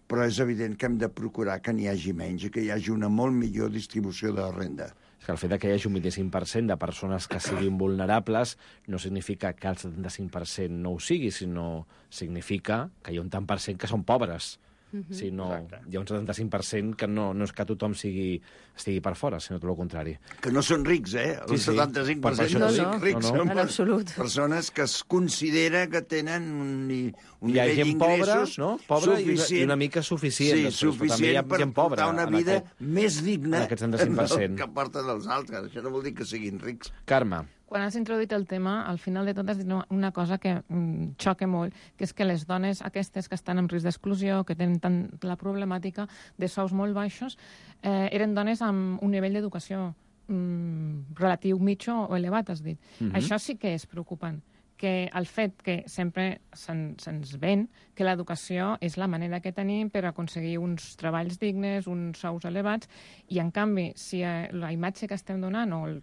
Però és evident que hem de procurar que n'hi hagi menys i que hi hagi una molt millor distribució de la renda.
És que el fet que hi hagi un vint-i-cinc per cent de persones que siguin vulnerables no significa que el setanta-cinc per cent no ho sigui, sinó significa que hi ha un tant per cent que són pobres. Uh-huh. Sinó, hi ha un setanta-cinc per cent que no, no és que tothom sigui, estigui per fora, sinó tot el contrari.
Que no són rics, eh? El sí, sí. setanta-cinc per cent no són rics, no, no. Són en absolut. Persones que es considera que tenen un, un nivell d'ingressos
no? suficient. I una mica suficient.
Sí, després, suficient per portar una vida aquest, més digna
del
que porten els altres. Això no vol dir que siguin rics.
Carme.
Quan has introduït el tema, al final de tot has dit una cosa que mm, xoca molt, que és que les dones aquestes que estan en risc d'exclusió, que tenen tant la problemàtica de sous molt baixos, eh, eren dones amb un nivell d'educació mm, relatiu mitjà o elevat, has dit. Mm-hmm. Això sí que és preocupant, que el fet que sempre se'ns se ven que l'educació és la manera que tenim per aconseguir uns treballs dignes, uns sous elevats, i en canvi, si la imatge que estem donant o el,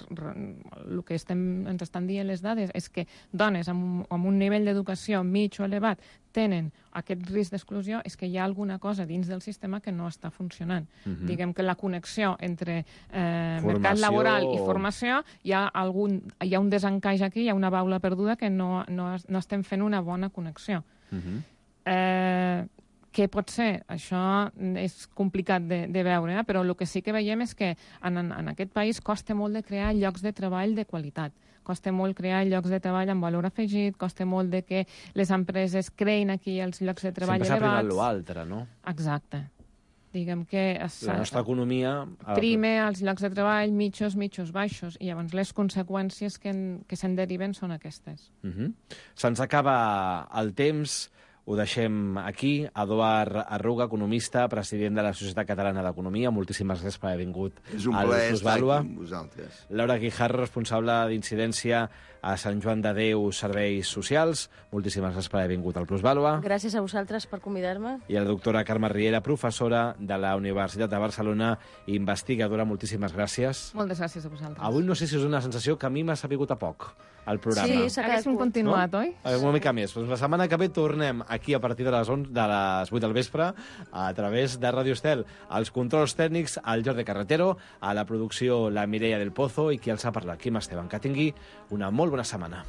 el que estem, ens estan dient les dades és que dones amb, amb un nivell d'educació mig o elevat tenen aquest risc d'exclusió, és que hi ha alguna cosa dins del sistema que no està funcionant. Uh-huh. Diguem que la connexió entre eh, mercat laboral i formació, hi ha, algun, hi ha un desencaix aquí, hi ha una baula perduda que no, no, no estem fent una bona connexió. Uh-huh. Eh, què pot ser? Això és complicat de, de veure, eh? Però el que sí que veiem és que en, en aquest país costa molt de crear llocs de treball de qualitat. Costa molt crear llocs de treball amb valor afegit, costa molt de que les empreses creïn aquí els llocs de treball
elevats. Sempre s'ha
privat
l'altre, no?
Exacte. Diguem que... Es,
la nostra economia...
Prime els llocs de treball mitjos, mitjos, baixos, i llavors les conseqüències que, en, que se'n deriven són aquestes.
Uh-huh. Se'ns acaba el temps. Ho deixem aquí. Eduard Arruga, economista, president de la Societat Catalana d'Economia. Moltíssimes gràcies per haver vingut
És un
al
plaer estar
Plusvàlua.
aquí amb vosaltres.
Laura Guijarro, responsable d'incidència a Sant Joan de Déu Serveis Socials. Moltíssimes gràcies per haver vingut al Plusvàlua.
Gràcies a vosaltres per convidar-me.
I la doctora Carme Riera, professora de la Universitat de Barcelona, investigadora. Moltíssimes gràcies.
Moltes gràcies a vosaltres.
Avui no sé si és una sensació que a mi m'ha sapigut a poc, el programa.
Sí, s'ha quedat
Haguéssim continuat, oi?
Una mica més. Doncs la setmana que ve tornem aquí a partir de les, onze, de les vuit del vespre a través de Radio Estel. Els controls tècnics, el Jordi Carretero, a la producció la Mireia del Pozo i qui els ha parlat, Quim Esteban. Que tingui una molt bona setmana.